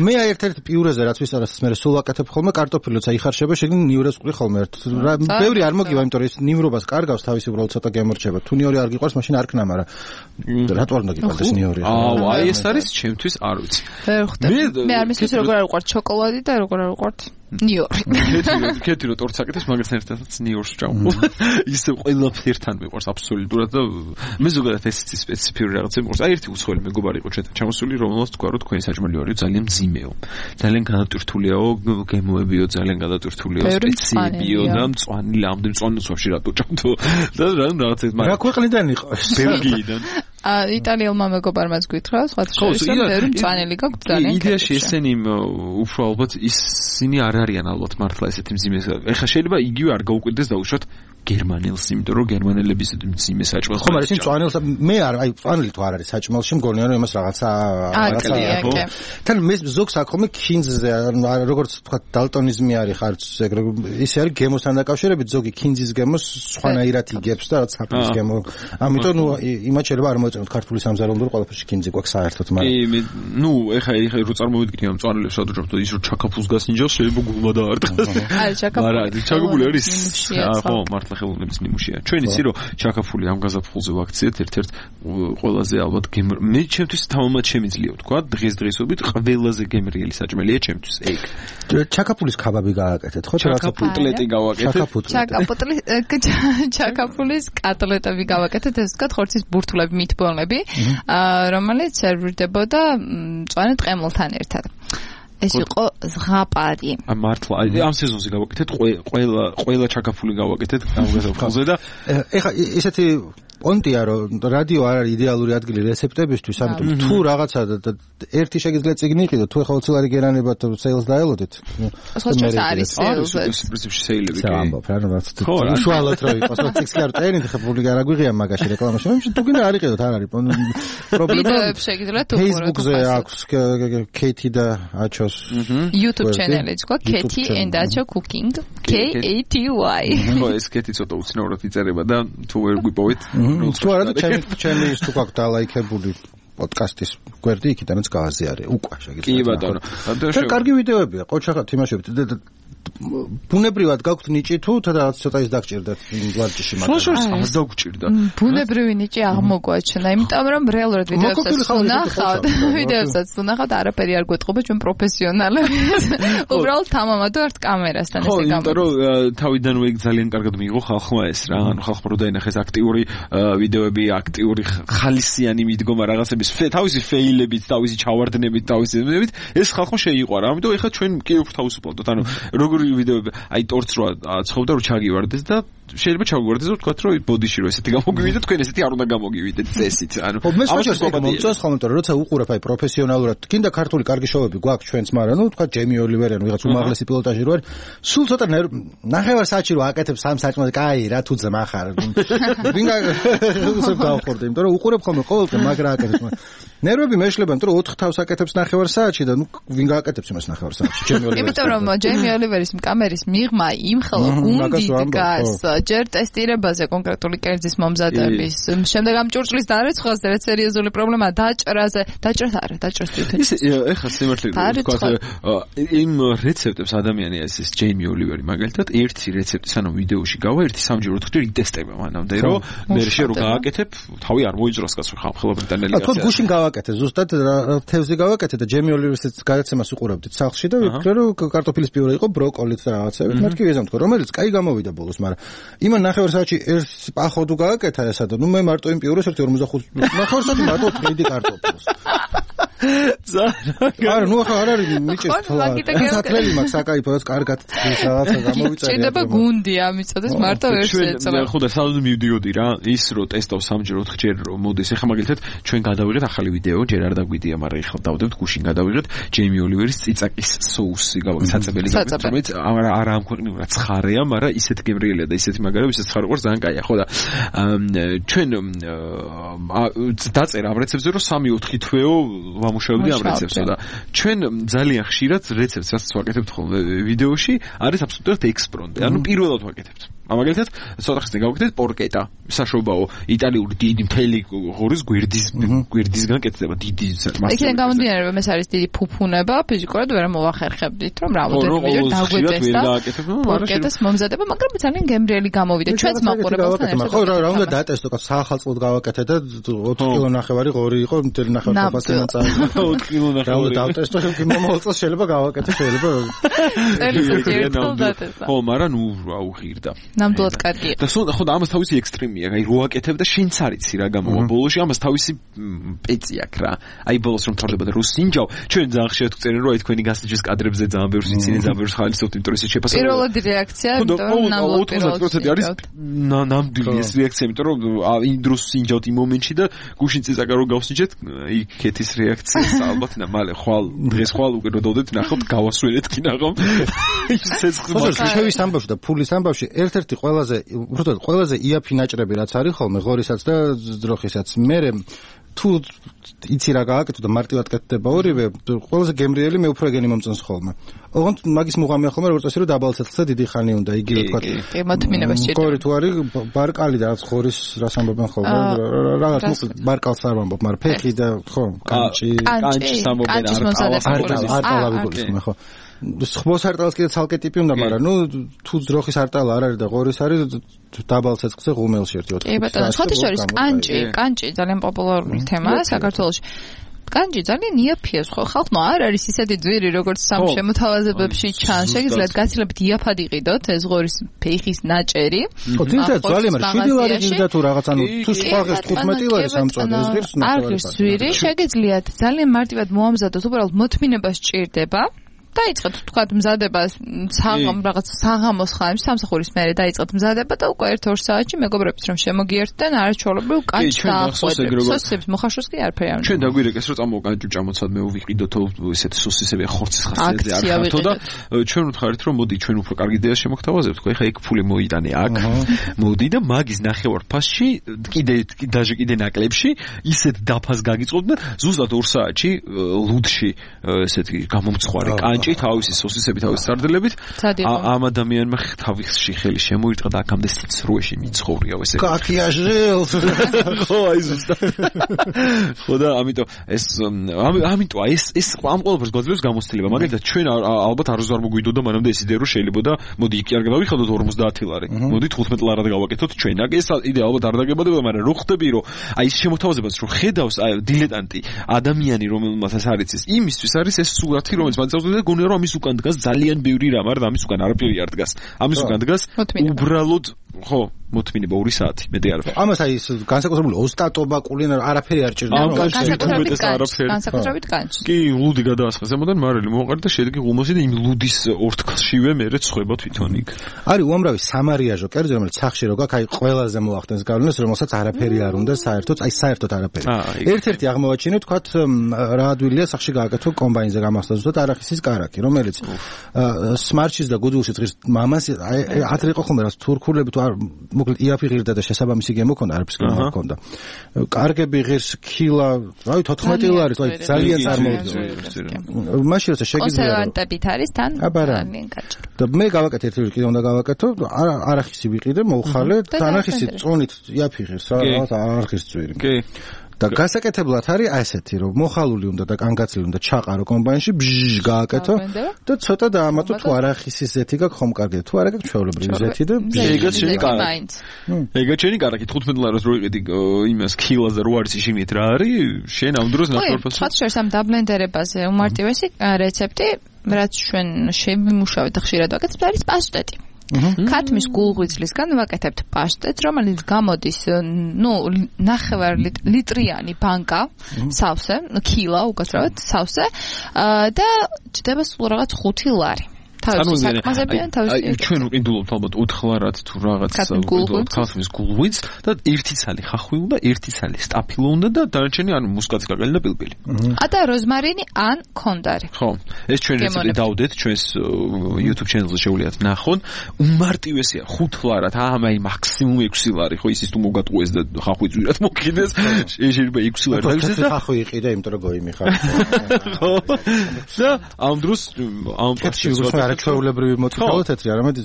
მე ერთ-ერთ პიურეზე რაც ვისაუბრეთ, მე სულ აკეთებ ხოლმე კარტოფილი, როცა იხარშება, შეგნი ნივრეს ვყრი ხოლმე ერთ. ბევრი არ მოგივა, იმიტომ რომ ეს ნივრობას კარგავს, თავისი უბრალოდ ცოტა გემორჩება. თუ ნიური არ გიყვარს, მაშინ არ ქნა, მაგრამ რატო არ უნდა გიყვარდეს ნიური? აი ეს არის ჩემთვის არ ვიცი. მე არ მისმის როგორ არ უყვართ შოკოლადი და როგორ არ უყვართ ნიორი. კეთი რო ტორტს აკეთებს, მაგასთან ერთადაც ნიორს ვჭამ. ისე ყველაფერთან მიყვარს აბსოლუტურად და მე ზოგადად ეს სპეციფიური რაღაცა მიყვარს. აი ერთი უცხოელი მეგობარი იყო ჩვენთან ჩამოსული, რომელსაც თქვა რომ თქვენი საჭმელი არის ძალიან მძიმეო. ძალიან განატვირთულიაო, გემოებიო, ძალიან განატვირთულიაო, სპეციებიო და მწვანე ლამდე მწვანეც ვაფშე რატო ჭამთო. და რაღაცა მაგრამ რა ქვეყნიდან იყო? ბელგიიდან. იტალიელმა მეგობარმაც გითხრა, სხვა შეიძლება ბევრი მწვანელი გაქვს ძალიან. იდეაში ესენი უფრო ალბათ ისინი არ არიან ალბათ მართლა ესეთი მძიმე. ეხლა შეიძლება იგივე არ გაუკვირდეს დაუშვათ გერმანელს, იმიტომ რომ გერმანელების მძიმე საჭმელს. ხო, მაგრამ ისინი მწვანელს მე არ, აი მწვანელი თუ არ არის საჭმელში, მგონია რომ იმას რაღაცა თან მე ზოგს აქ ხომ ქინძზე, როგორც თქვა დალტონიზმი არის ხარც, ისე არის გემოსთან დაკავშირებით, ზოგი ქინძის გემოს სხვანაირად იგებს და რაც საფრის გემო. ამიტომ იმათ შეიძლება არ მოეწონოთ ქართული სამზარეულო ყველაფერში ქინძი გვაქვს საერთოდ, მაგრამ კი, ეხა რო წარმოვიდგინე ამ მწვანელებს სადღაც ის რო ჩაკაფულს გასინჯავს, შეიძლება გულმა დაარტყას. არა, ჩაკაფული არის. ხო, მართლა ხელოვნების ნიმუშია. ჩვენ იცი რომ ჩაკაფული ამ გაზაფხულზე ვაქციეთ ერთ-ერთ ყველაზე ალბათ მე ჩემთვის თამამად შემიძლია ვთქვა დღესდღეობით ყველაზე გემრიელი საჭმელია ჩემთვის ეგ. ჩაკაფულის კაბაბი გააკეთეთ, ხო? ჩაკაფუტლეტი გავაკეთეთ. ჩაკაფულის კატლეტები გავაკეთეთ, ესე ვთქვათ, ხორცის ბურთულები, მითბოლები, რომელიც სერვირდებოდა მწვანე ტყემულთან ერთად. ეს იყო ზღაპარი. მართლა ამ სეზონზე გავაკეთეთ ყველა ჩაკაფული გავაკეთეთ ამ გაზაფხულზე და ეხა ესეთი პონტია რომ რადიო არ არის იდეალური ადგილი რეცეპტებისთვის, ამიტომ თუ რაღაცა ერთი შეგიძლიათ წიგნი იყიდოთ, თუ ეხლა 20 ლარი გერანებათ სეილს დაელოდეთ. სხვა არის სეილს. პრინციპში სეილები კი. ამბობ რა რაღაც უშუალოდ რო იყოს, წიგს კი არ წერინთ, ხა პუბლიკა არ აგვიღია მაგაში რეკლამაში. მე თუ გინდა არ იყიდოთ, არ არის პრობლემა. ვიდეოებს შეგიძლიათ უყუროთ. Facebook-ზე აქვს Katie და Achos YouTube channel-ი თქვა Katie and Acho Cooking. KATY. ხო, ეს Katie ცოტა უცნაურად იწერება და თუ ვერ გვიპოვეთ თუ არა და ჩემი ის თუ გაქვს დალაიქებული პოდკასტის გვერდი იქიდანაც გააზიარე უკვე შეგიძლიათ. კი ბატონო. და კარგი ვიდეოებია, ყოჩახად თამაშობთ. ბუნებრივად გაქვთ ნიჭი თუ რაღაც ცოტა ის დაგჭირდათ ვარჯიში მაგრამ. შორს ამას დაგჭირდა. ბუნებრივი ნიჭი აღმოგვაჩნდა, იმიტომ რომ რეალურად ვიდეოებსაც ვნახავთ. ვიდეოებსაც ვნახავთ, არაფერი არ გვეტყობა ჩვენ პროფესიონალები. უბრალოდ თამამად ვართ კამერასთან ესე გამო. ხო, იმიტომ რომ თავიდანვე ძალიან კარგად მიიღო ხალხმა ეს რა, ანუ ხალხმა რო დაინახეს აქტიური ვიდეოები, აქტიური ხალისიანი მიდგომა რაღაცების თავისი ფეილებით, თავისი ჩავარდნებით, თავისი ეს ხალხმა შეიყვარა. ამიტომ ეხლა ჩვენ კი უფრო თავისუფლდოთ. ანუ როგორი ვიდეოები, აი ტორც რო აცხოვდა რომ ჩაგივარდეს და შეიძლება ჩაგვიგვარდეს და ვთქვათ რომ ბოდიში რო ესეთი გამოგივიდეთ, თქვენ ესეთი არ უნდა გამოგივიდეთ წესით. ანუ ამას მომწონს ხოლმე, რომ როცა უყურებ აი პროფესიონალურად, კიდე ქართული კარგი შოუები გვაქვს ჩვენც, მაგრამ ნუ ვთქვათ ჯემი ოლივერი ან ვიღაც უმაღლესი პილოტაჟი რო არის, სულ ცოტა ნახევარ-საათში რო აკეთებს სამ საჭმელს, კაი რა თუ ძმა ხარ. ვინ გაგუსებ გავხორდა, იმიტომ რომ უყურებ ხოლმე ყოველდღე მაგრა აკეთებს. ნერვები მეშლება, იმიტომ რომ 4 თავს აკეთებს ნახევარ-საათში და ნუ ვინ გააკეთებს იმას ნახევარ-საათში. ჯემი ოლივერი. იმიტომ რომ ჯემი ოლივერის კამერის მიღმა იმხელა გუნდით გას, ჯერ ტესტირებაზე კონკრეტული კერძის მომზადების, შემდეგ ამ ჭურჭლის დარეცხვაზე, რაც სერიოზული პრობლემაა, დაჭრაზე თვითონ. ეხლა სიმართლე ვთქვათ, იმ რეცეპტებს ადამიანი ეს ჯემი ოლივერი მაგალითად ერთი რეცეპტის ანუ ვიდეოში გავა, ერთი სამჯერ 4-ჯერ იტესტება მანამდე, რომ მე შე რო გააკეთებ, თავი არ მოიძროს კაცო ხალხო ბრიტანელი კაცი. თქვენ გუშინ გავაკეთე, ზუსტად თევზი გავაკეთე და ჯემი ოლივერის გადაცემას უყურებდით სახლში და ვიფიქრე რომ კარტოფილის პიურე იყო, ბროკოლით და რაღაცები. მეთქი ვიზამ თქო, რომელიც კაი გამოვიდა ბოლოს, მაგრამ იმან ნახევარ-საათში ერთ პახოდუ გააკეთა ესა და ნუ მე მარტო იმ პიურეს 1.45 ნახევარ-საათი მარტო თეიდი კარტოფილს. არა, ნუ ახლა არ არის მიჭირს თლა. საათლელი მაქვს საკაიფოც კარგად თის რაღაცა გამოვიწერე. ჭირდება გუნდი ამიწოდეს მარტო ერთ ეწვა. ხო და სალონი მივდიოდი რა, ის რო ტესტავს 3-ჯერ 4-ჯერ რომ მოდის. ეხლა მაგალითად ჩვენ გადავიღეთ ახალი ვიდეო, ჯერ არ დაგვიდია, მაგრამ ეხლა დავდებთ გუშინ გადავიღეთ ჯემი ოლივერის წიწაკის соуსი გავაკეთე საწებელი გავაკეთე, რომელიც არა ამ ქვეყნიურ რა ცხარეა, მაგრამ ისეთ გემრიელია და ისეთი მაგარი, ისეთ ცხარე ყურს ძალიან კაია, ხო და ჩვენ დაწერა ამ რეცეპტზე რომ 3-4 თვეო ვამუშავებდი ამ რეცეპტს და ჩვენ ძალიან ხშირად რეცეპტს რაც ვაკეთებთ ხოლმე ვიდეოში არის აბსოლუტურად ექსპრონტი, ანუ პირველად ვაკეთებთ. მაგალითად, ცოტა ხნის გავაკეთეთ პორკეტა, საშობაო, იტალიური დიდი მთელი ღორის გვერდისგან კეთდება დიდი მასა. იქიდან გამომდინარე, რომ ეს არის დიდი ფუფუნება, ფიზიკურად ვერ მოვახერხებდით, რომ რამოდენიმე ვიდეო დაგვეწეს და პორკეტას მომზადება, მაგრამ ძალიან გემრიელი გამოვიდა. ჩვენც მაყურებელთან ერთად. ხო, რა უნდა დატესტო, სახალხოდ გავაკეთე და 4 კილო ნახევარი ღორი იყო, მთელი ნახევარი ბასენა წაი. 4 კილო ნახევარი. რა დავტესტო, მომავალწელს შეიძლება გავაკეთე, შეიძლება. ხო, მაგრამ ნუ აუღირდა. ნამდვილად კარგია. და ხო და ამას თავისი ექსტრემია, აი რო აკეთებ და შენც არიცი რა გამოვა ბოლოში, ამას თავისი პეცი აქვს რა. აი ბოლოს რომ თორდება და რო სინჯავ, ჩვენ ძალიან ხშირად გვწერენ რომ აი თქვენი გასაჯის კადრებზე ძალიან ბევრს იცინე, ძალიან ბევრს ხალისობთ, იმიტომ რომ ისე შეფასებული. პირველადი რეაქცია, იმიტომ რომ ნამდვილად 90% არის ნამდვილი ეს რეაქცია, იმიტომ რომ იმ დროს სინჯავთ იმ მომენტში და გუშინ წიწაკა რო გავსინჯეთ, იქეთის რეაქცია ალბათ და მალე დღეს ხვალ უკვე რო დავდეთ ნახავთ გავასვლელეთ კინაღამ. ისეც ხმას შევის ამბავში და ფულის ამბავში ერთ-ერთი ყველაზე იაფი ნაჭრები რაც არის ხოლმე ღორისაც და ძროხისაც მე თუ იცი რა გააკეთო და მარტივად კეთდება ორივე ყველაზე გემრიელი მე უფრო ეგენი მომწონს ხოლმე. ოღონდ მაგის მუღამია ხოლმე როგორც ასე რომ დაბალცეთლზე დიდი ხანი უნდა იგივე თქვა. კი, მათმინება შეჭირდება. გორი თუ არის ბარკალი და რაც ხორის რას ამბობენ ხოლმე რაღაც მოკლედ ბარკალს არ ვამბობ, მაგრამ ფეხი და ხო კანჭი ამბობენ არტალავი გულისხმე ხო. ხბოს არტალს კიდე ცალკე ტიპი უნდა, მაგრამ ნუ თუ ძროხის არტალა არ არის და ღორის არის დაბალ ცეცხლზე ღუმელში 1-4. კი ბატონო, სხვათა შორის კანჭი ძალიან პოპულარული თემაა საქართველოში. კანჭი ძალიან იაფია, ხო ხალხმა არ არის ისეთი ძვირი როგორც სამ შემოთავაზებებში ჩანს. შეგიძლიათ გაცილებით იაფად იყიდოთ ეს ღორის ფეხის ნაჭერი. ხო, თუმცა ძალიან მაგრამ 7 ლარი გინდა თუ რაღაც ანუ თუ სხვა ღირს 15 ლარი სამწვანე ეს ღირს არ ღირს ძვირი, შეგიძლიათ ძალიან მარტივად მოამზადოთ, უბრალოდ მოთმინება სჭირდება. დაიწყეთ თქვათ მზადება რაღაც საღამოს ხანში სამსახურის მერე დაიწყეთ მზადება და უკვე 1-2 საათში მეგობრებიც რომ შემოგიერთდნენ არაჩვეულებრივ კანჭს დაახვედრეთ. სოსისების მოხარშოს კი არაფერი არ უნდა. ჩვენ დაგვირეკეს რომ წამოვკანჭუ ჭამოცად მე ვიყიდოთო ესეთი სოსისები ხორცის ხასიათზე არ ხართო და ჩვენ ვთქვარით რომ მოდი ჩვენ უფრო კარგი იდეას შემოგთავაზებთ. ხო ეხა იქ ფული მოიტანე აქ. მოდი და მაგის ნახევარ ფასში კიდე ნაკლებში ისეთ დაფას გაგიწყობთ და ზუსტად 2 საათში ლუდში ესეთი გამომცხვარი კანჭი თავისი სოსისები თავის სარდლებით ამ ადამიანმა თავისი ხელი შემოირტყა და აქამდე სიცრუეში მიცხოვრია ესე. კაკიაჟელ. ხო აი ზუსტად. ხო და ამიტომ ეს ამ ყველაფერს გვაძლევს გამოცდილება. მაგალითად ჩვენ ალბათ არ მოგვიდოდა მანამდე ეს იდეა რომ შეიძლება და მოდი იქ არ გავიხადოთ 50 ლარი. მოდი 15 ლარად გავაკეთოთ ჩვენ. ეს იდეა ალბათ არ დაგებადება, მაგრამ რო ხდები რომ აი ეს შემოთავაზებას რო ხედავს დილეტანტი ადამიანი რომელმაც ეს არის იმისთვის არის ეს სურათი რომელიც მანძილზე და გონია რომ ამის უკან დგას ძალიან ბევრი რამ, არა ამის უკან არაფერი არ დგას. ამის უკან დგას უბრალოდ ხო, მოთმინება 2 საათი, მეტი არ ვარ. ამას აი ეს განსაკუთრებული ოსტატობა, კულინარ არაფერი არ ჭირდება. განსაკუთრებით განს. კი, ლუდი გადაასხა ზემოდან მარილი მოყარდა და შედეგი ღუმოსი და იმ ლუდის ორთქლშივე მერე ცხვება თვითონ იქ. არის უამრავი სამარიაჟო კერძი, რომელიც სახში რო გაქვს, აი ყველაზე მოახდენს გავლენას, რომელსაც არაფერი არ უნდა საერთოდ, აი საერთოდ არაფერი. ერთ-ერთი აღმოვაჩინე, თქვათ, რა ადვილია სახში გააკეთო კომბაინზე გამახსნა ზუსტად არახისის კარაკი, რომელიც სმარჩის და გუდულში დღის მამას ადრე იყო ხოლმე რას თურქულები თუ არ მოკლედ იაფი ღირდა და შესაბამისი გემო ქონდა, არაფერს გემო ქონდა. კარგები ღირს ქილა, რავი 14 ლარი, ძალიან წარმოვიდგინე. მაშინ როცა შეგიძლია კონსერვანტებით არის თან ძალიან გაჭირ. და მე გავაკეთე ერთ-ერთი კიდე უნდა გავაკეთო, არახისი ვიყიდე, მოვხალე, თანახისი წონით იაფი ღირს, რა არახის წვირი. კი. და გასაკეთებლად არის ასეთი, რომ მოხალული უნდა და კანგაცილი უნდა ჩაყარო კომბაინში, ბჟჟ გააკეთო და ცოტა დაამატო თუ არახისის ზეთი გაქვს ხომ კარგია, თუ არა გაქვს ჩვეულებრივი ზეთი და ეგაც შენი კარაკი. ეგაც შენი კარაკი 15 ლარას რო იყიდი იმას ქილას და რო არის შიმით რა არის, შენ ამ დროს ნახევარფასი. ხო, შორს ამ დაბლენდერებაზე უმარტივესი რეცეპტი, რაც ჩვენ შევიმუშავეთ და ხშირად ვაკეთებთ, არის პასტეტი. ქათმის გულღვიძლისგან ვაკეთებთ პასტეტს, რომელიც გამოდის, ნახევარ ლიტრიანი ბანკა, სავსე, ქილა უკაცრავად სავსე და ჭდება სულ რაღაც 5 ლარი. თავის საკმაზებიან თავის ჩვენ უყიდულობთ ალბათ 4 ლარად თუ რაღაც ქათმის გულღვიძლს და 1 ცალი ხახვი უნდა, 1 ცალი სტაფილო უნდა და დანარჩენი ანუ მუსკაცი კაკალი და პილპილი. და როზმარინი ან კონდარი. ხო, ეს ჩვენ რეცეპტი დავდეთ ჩვენს YouTube channel-ზე შეუძლიათ ნახონ. უმარტივესია 5 ლარად, აი მაქსიმუმ 6 ლარი, ხო ისიც თუ მოგატყუეს და ხახვი ძვირად მოკიდეს, შეიძლება 6 ლარი დაგიდეს და ხახვი იყიდა, იმიტომ რომ გოიმი ხარ. ხო. და ამ დროს ამ ჩვეულებრივი მოტკავა თეთრი, არამედ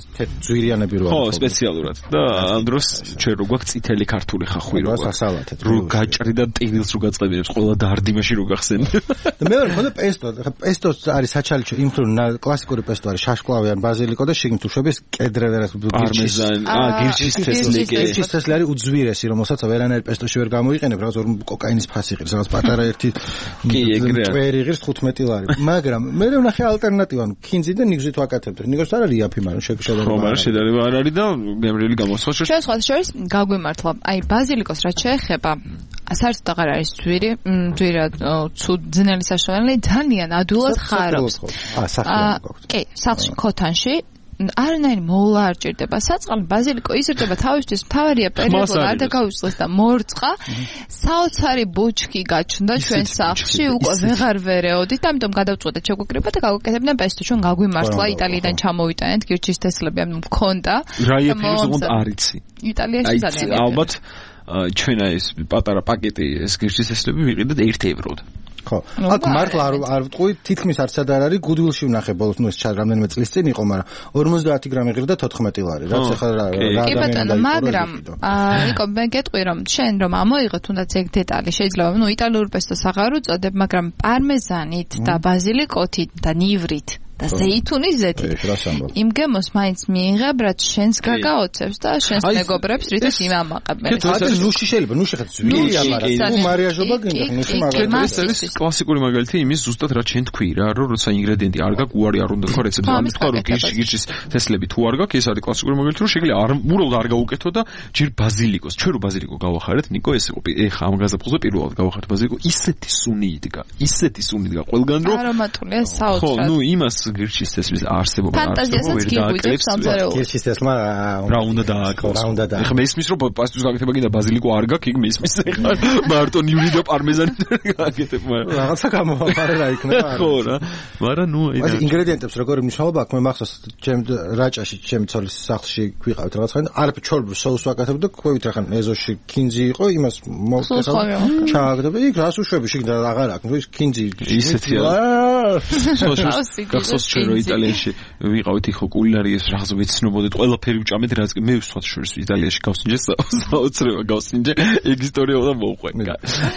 ძვირიანები როა. ხო, სპეციალურად. და ამ დროს ჩვენ რო გვაქვს წითელი ქართული ხახვი რო გვაქვს. რო გაჭრი და ტილს რო გაწყებინებს, ყველა დარდიმაში რო გახსენ. და მე ვარ ხოდა პესტო. პესტოს არის საჩალიჩო, იმ რომ კლასიკური პესტო არის შაშკლავი ან ბაზილიკო და შიგნით უშვების კედრევერას პარმეზანი, გირჩის თესლი. გირჩის თესლი არის უძვირესი, რომელსაც ვერანაირ პესტოში ვერ გამოიყენებ, რაღაც ორ კოკაინის ფასი ღირს, რაღაც პატარა ერთი კვერი ღირს 15 ლარი. მაგრამ მე ვნახე ალტერნატივა, ქინძი და ნიგზით ვაკეთებთ. ნიგოს არ არის იაფი, მაგრამ შეგვიძლია. ხო, მაგრამ შედარება არ არის და გემრიელი გამოსვლა შეიძლება. ჩვენ სხვა შორის გაგვიმართლა. აი ბაზილიკოს რაც შეეხება, საერთოდ აღარ არის ძვირი, ძვირად ცუდ ძნელი საშუალებელი, ძალიან ადვილად ხარობს. კი, სახლში ქოთანში არანაირი მოვლა არ ჭირდება. საწყალი ბაზილიკო იზრდება თავისთვის, მთავარია პერიოდულად არ დაგავიწყდეს და მორწყა. საოცარი ბუჩქი გაჩნდა ჩვენ სახლში, უკვე ვეღარ ვერეოდით, ამიტომ გადავწყვეტეთ შეგვიკრიბა და გავაკეთებდნენ პესტო. ჩვენ გაგვიმართლა იტალიიდან ჩამოვიტანეთ გირჩის თესლები, ანუ მქონდა. რა იაფი უნდა არიცი. იტალიაში ძალიან ალბათ ჩვენ ეს პატარა პაკეტი ეს გირჩის თესლები ვიყიდეთ 1 ევროდ. ხო. აქ მართლა არ ვტყვი, თითქმის არც არ არის, გუდვილში ვნახე ბოლოს, ეს რამდენიმე წლის წინ იყო, მაგრამ 50 გრამი ღირდა 14 ლარი. რაც ახლა რა ადამიანია. მაგრამ ნიკო, მე გეტყვი რომ შენ რომ ამოიღო თუნდაც ეგ დეტალი, შეიძლება იტალიურ პესტოს აღარ უწოდებ, მაგრამ პარმეზანით და ბაზილიკოთით და ნივრით და ზეითუნის ზეთით. იმ გემოს მაინც მიიღებ, რაც შენს გაგაოცებს და შენს მეგობრებს რითაც იმამაყებენ. ეს ნუში შეიძლება, ნუში ხეთ ძვირია, მაგრამ მარიაჟობა გინდა, ნუში მაგრამ ეს არის კლასიკური მაგალითი იმის ზუსტად რა ჩვენ თქვი რა, რომ როცა ინგრედიენტი არ გაქვს, უარი არ უნდა თქვა რეცეპტზე, ამის თქვა რომ გირჩის თესლები თუ არ გაქვს, ეს არის კლასიკური მაგალითი, რომ შეგვიძლია უბრალოდ არ გაუკეთო და ჯერ ბაზილიკოს, ჩვენ რო ბაზილიკო გავახარეთ, ნიკო ეს იყო ეხა ამ გაზაფხულზე პირველად გავახარეთ ბაზილიკო, ისეთი სუნი იდგა ყველგან რომ არომატულია საოცრად. ხო, ნუ იმას გირჩის თესლის არსებობა ფანტაზიასაც გიგვიძებს სამზარეულოს. გირჩის თესლმა რა უნდა დააკლოს. ეხლა მე ისმის რომ პასტოს გაკეთება კიდე ბაზილიკო არ გაქვს, იქ მე ისმის ეხლა მარტო ნივრი და პარმეზანი გაკეთებ, მაგრამ რაღაცა გამოვაფარე რა იქნება. ხო რა. მაგრამ ნუ აი ინგრედიენტებს როგორი მნიშვნელობა აქვს, მე მახსოვს ჩემ რაჭაში, ჩემ ცოლის სახლში გვიყავით რაღაც ხანი, არაფერ ჩორბ სოუსს ვაკეთებ და ყვევით ახლა ეზოში ქინძი იყო, იმას მოვკეთებ. ჩააგდებ, იქ რას უშვები, შიგდა აღარ აქვს, ის ქინძი ისეთია. გახსოვს ჩვენ რომ იტალიაში ვიყავით ხო კულინარიის რაღაც ვეცნობოდეთ, ყველაფერი ვჭამეთ, რაც მე ვსვათ შორის იტალიაში გავსინჯე საოცრება გავსინჯე, ეგ ისტორია უნდა მოვყვე.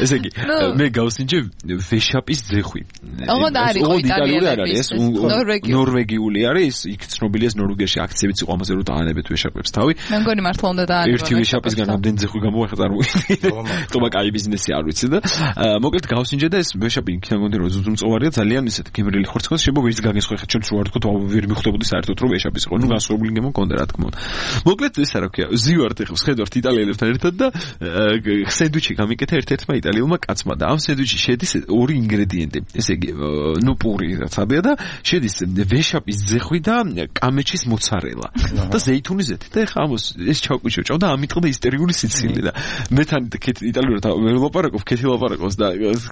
ესე იგი, მე გავსინჯე ვეშაპის ძეხვი. ოღონდ არის იტალიელების, ნორვეგიული არის, იქ ცნობილია ნორვეგიაში აქციებიც იყო ამაზე რომ დაანებეთ ვეშაპებს თავი. მე მგონი მართლა უნდა დაანებო. ერთი ვეშაპისგან ამდენ ძეხვი გამოახა წარმოვიდგინე. თუმცა კაი ბიზნესი არ ვიცი და მოკლედ გავსინჯე და ეს ვეშაპი იქიდან გონდი რომ ზუზუმწოვარია ძალიან ისეთ გემრიელი ხორცქოს, შეიძლება ვერც გაგესხო ხო ხა ჩემს რო არ თქო ვერ მიხვდებოდი საერთოდ რომ ვეშაპის იყო ნუ განსხვავებული გემო მქონდა რა თქმა უნდა მოკლედ ეს რა ქვია ზივართ ეხლა ხედავთ იტალიელებთან ერთად და სენდვიჩი გამიკეთა ერთ-ერთმა იტალიელმა კაცმა და ამ სენდვიჩში შედის ორი ინგრედიენტი ესე იგი ნუ პური რაც აბია და შედის ვეშაპის ძეხვი და კამეჩის მოცარელა და ზეითუნის ზეთი და ეხლა ამას ეს ჩავკვიჩო და ამიტყდა ისტერიული სიცილი და მე თან იტალიურად ვერ ლაპარაკობ ქეთი ლაპარაკობს და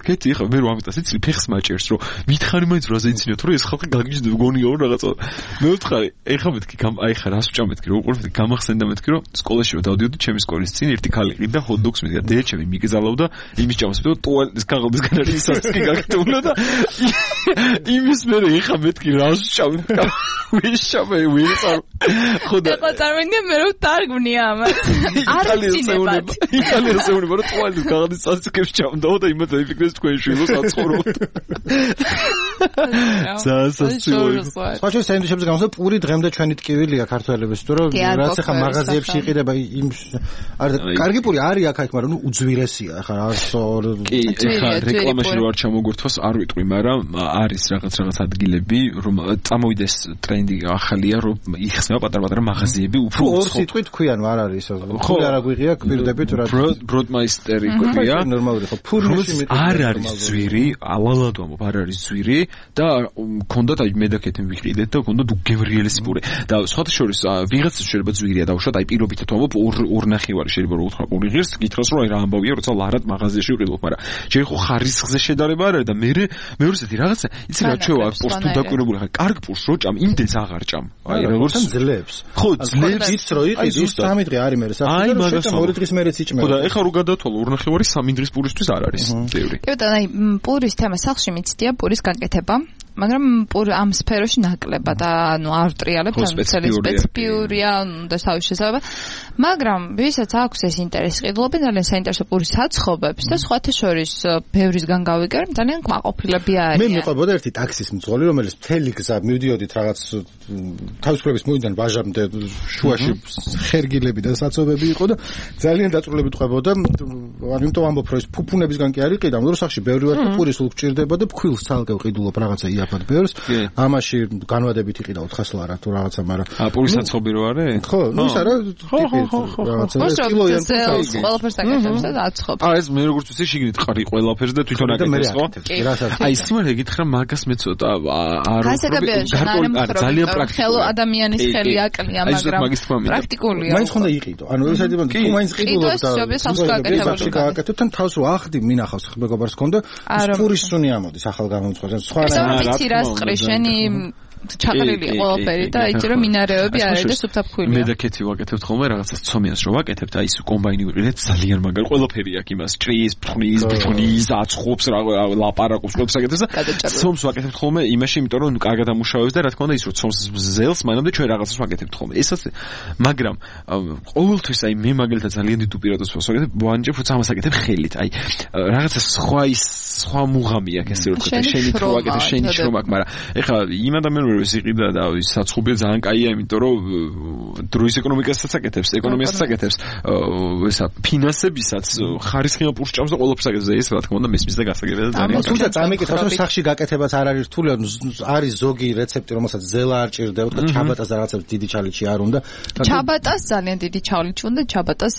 ქეთი ეხლა მე რო ამიტყდა სიცილი ფეხს მაჭერს რომ მითხარი მაინც რა ზეიცინოთ რომ ეს ხალხი გაგიჟდა გონიო რაღაცა მე ვთხარი ეხლა მეთქი აი ხა რას ვჭამეთქი რომ უყურებდი გამახსენდა მეთქი რომ სკოლაში რომ დავდიოდი ჩემი სკოლის წინ ერთი ქალი ყიდა ჰოთ-დოგს მიდია დედაჩემი მიგზავნდა იმის ჭამას მე ტუალეტის კაღალდისგან არის ისაცკი გაგტოვნა და იმის მე ეხლა მეთქი რას ვჭამე ვიშავე ვიწყარ ხოდა ეხლა წარმოვიდგინე მე რომ დარგვნია ამას არ ვცინებად იტალიაში ეუბნება რომ ტუალეტის კაღალდის საცკებს ჭამდა და იმათ ეფექტეს თქვენ შვილოს აცხოვროთ საჩვენე სენდვიჩებზე გამოსა პური დღემდე ჩვენი ტკივილია ქართველების თუ რომ რაც ახლა მაღაზიებში იყიდება იმ კარგი პური არის აქ მაგრამ ნუ უძვირესია ახლა კი ახლა რეკლამაში რო არ ჩამოგვერთვას არ ვიტყვი მაგრამ არის რაღაც ადგილები რომ წამოვიდეს ტრენდი ახალია რომ იხსნება პატარ-პატარა მაღაზიები უფრო ორ სიტყვით ქვიან არ არის ისე პური არ აგვიღია გვირდებით რა ბროდმაისტერი ქვია ნორმალური ხო ფურმში არ არის ზვირი ავალად ვამბობ არ არის ზვირი და მქონდათ აი მედაკეთენ ვიყიდეთ და მქონდათ უგემრიელესი პური და სხვათა შორის ვიღაცას შეიძლება ზვირია დავუშვათ აი პირობითად ვამბობ ორ ნახევარი შეიძლება რომ უთხრა პური ღირს გითხრას რომ აი რა ამბავია როცა ლარად მაღაზიაში ვიყიდოთ მაგრამ ჯერ ხო ხარისხზე შედარება არ არის და მეორე ზეთი რაღაცა იცი რა ჩვევა პურს თუ დაკვირებული ხარ კარგ პურს რო ჭამ იმდენს აღარ ჭამ აი როგორც ძლებს ხო ძლებს იცი რო იყიდი 3 დღე არის მე აი მაგას 2 დღის მერეც იჭმება ხო და ეხლა რო გადათვალო ორ ნახევარი 3 დღის პურისთვის არ არის ბევრი კი და აი პურის თემა სახლში მიცდია პურის გაკეთება მაგრამ ამ სფეროში ნაკლებად ანუ არ ვტრიალებ და სპეციფიურია და თავის შესაძლებლობა მაგრამ ვისაც აქვს ეს ინტერესი ყიდულობენ ძალიან საინტერესო პურის საცხობებს და სხვათა შორის ბევრისგან გავიგერ ძალიან კმაყოფილები არიან მე მიყვებოდა ერთი ტაქსის მძღოლი რომელიც მთელი გზა მივდიოდით რაღაც თავისუფლების მოედან ვაჟამდე შუაში ხერგილები და საცობები იყო და ძალიან დაწვრილებით ყვებოდა ანუ იმიტომ ამბობ რომ ეს ფუფუნებისგან კი არ იყიდა მაგრამ სახში ბევრი ვარ და პურის სულ გჭირდება და ფქვილს ცალკე ვყიდულობ რაღაცა იაფად ბევრს ამაში განვადებით იყიდა 400 ლარა თუ რაღაცა მაგრამ პურის საცხობი რო არის ხო ნუ ის არა რაღაცა კილოიან ყველაფერს აკეთებს და აცხობს ეს მე როგორც ვიცი შიგნით ყარი ყველაფერს და თვითონ აკეთებს ხო აი სიმართლე გითხრა მაგას მე ცოტა არ ძალიან პრაქტიკულია ხელო ადამიანის ხელი აკლია მაგრამ პრაქტიკულია მაინც ხონდა იყიდო ანუ ეს საერთოდ თუ მაინც ყიდულობ და გააკეთებ თან თავს რო ახდი მინახავს მეგობარს ხონდა პურის სუნი ამოდის ახალ გამომწვევს სხვა რა რას ყრი შენი ჩაყრილი ყველაფერი და იცი რომ მინარევები არის და სუფთაფქვილია. მე და კეთი ვაკეთებთ ხოლმე რაღაცას ცომიანს რო ვაკეთებთ, აი ეს კომბაინი ვიყიდეთ ძალიან მაგარი ყველაფერი აქვს იმას, ჭრის, ფხნის, აცხობს, ლაპარაკობს, ყველაფერს აკეთებს და ცომს ვაკეთებთ ხოლმე იმაში, იმიტომ რომ კარგად ამუშავებს და რა თქმა უნდა ის რო ცომს ზელს, მანამდე ჩვენ რაღაცას ვაკეთებთ ხოლმე. ეს ასე. მაგრამ ყოველთვის აი მე მაგალითად ძალიან დიდ უპირატესობას ვაკეთებ, ვანჯებ როცა ამას აკეთებ ხელით. აი რაღაცა სხვა მუღამი აქვს ესე რომ ვთქვი, შენი რო ვაკეთებ, შენი შრომა აქვს, მაგრამ ეხლა იმ ადამიანს ეს იყიდა და ის საცხობია ძალიან კაია, იმიტომ რომ დროის ეკონომიკასაც აკეთებს, ეკონომიასაც აკეთებს, ესა ფინანსებისაც ხარისხიან პურს ჭამს და ყველაფერს აკეთებს და ეს რა თქმა უნდა მესმის და გასაგებია და ძალიან. თუმცა წამიკითხავს რომ სახში გაკეთებაც არ არის რთული, არის ზოგი რეცეპტი, რომელსაც ზელა არ ჭირდება, თქო ჩაბატას და რაღაცა დიდი ჩალიჩი არ უნდა. ჩაბატას ძალიან დიდი ჩალიჩი უნდა, ჩაბატას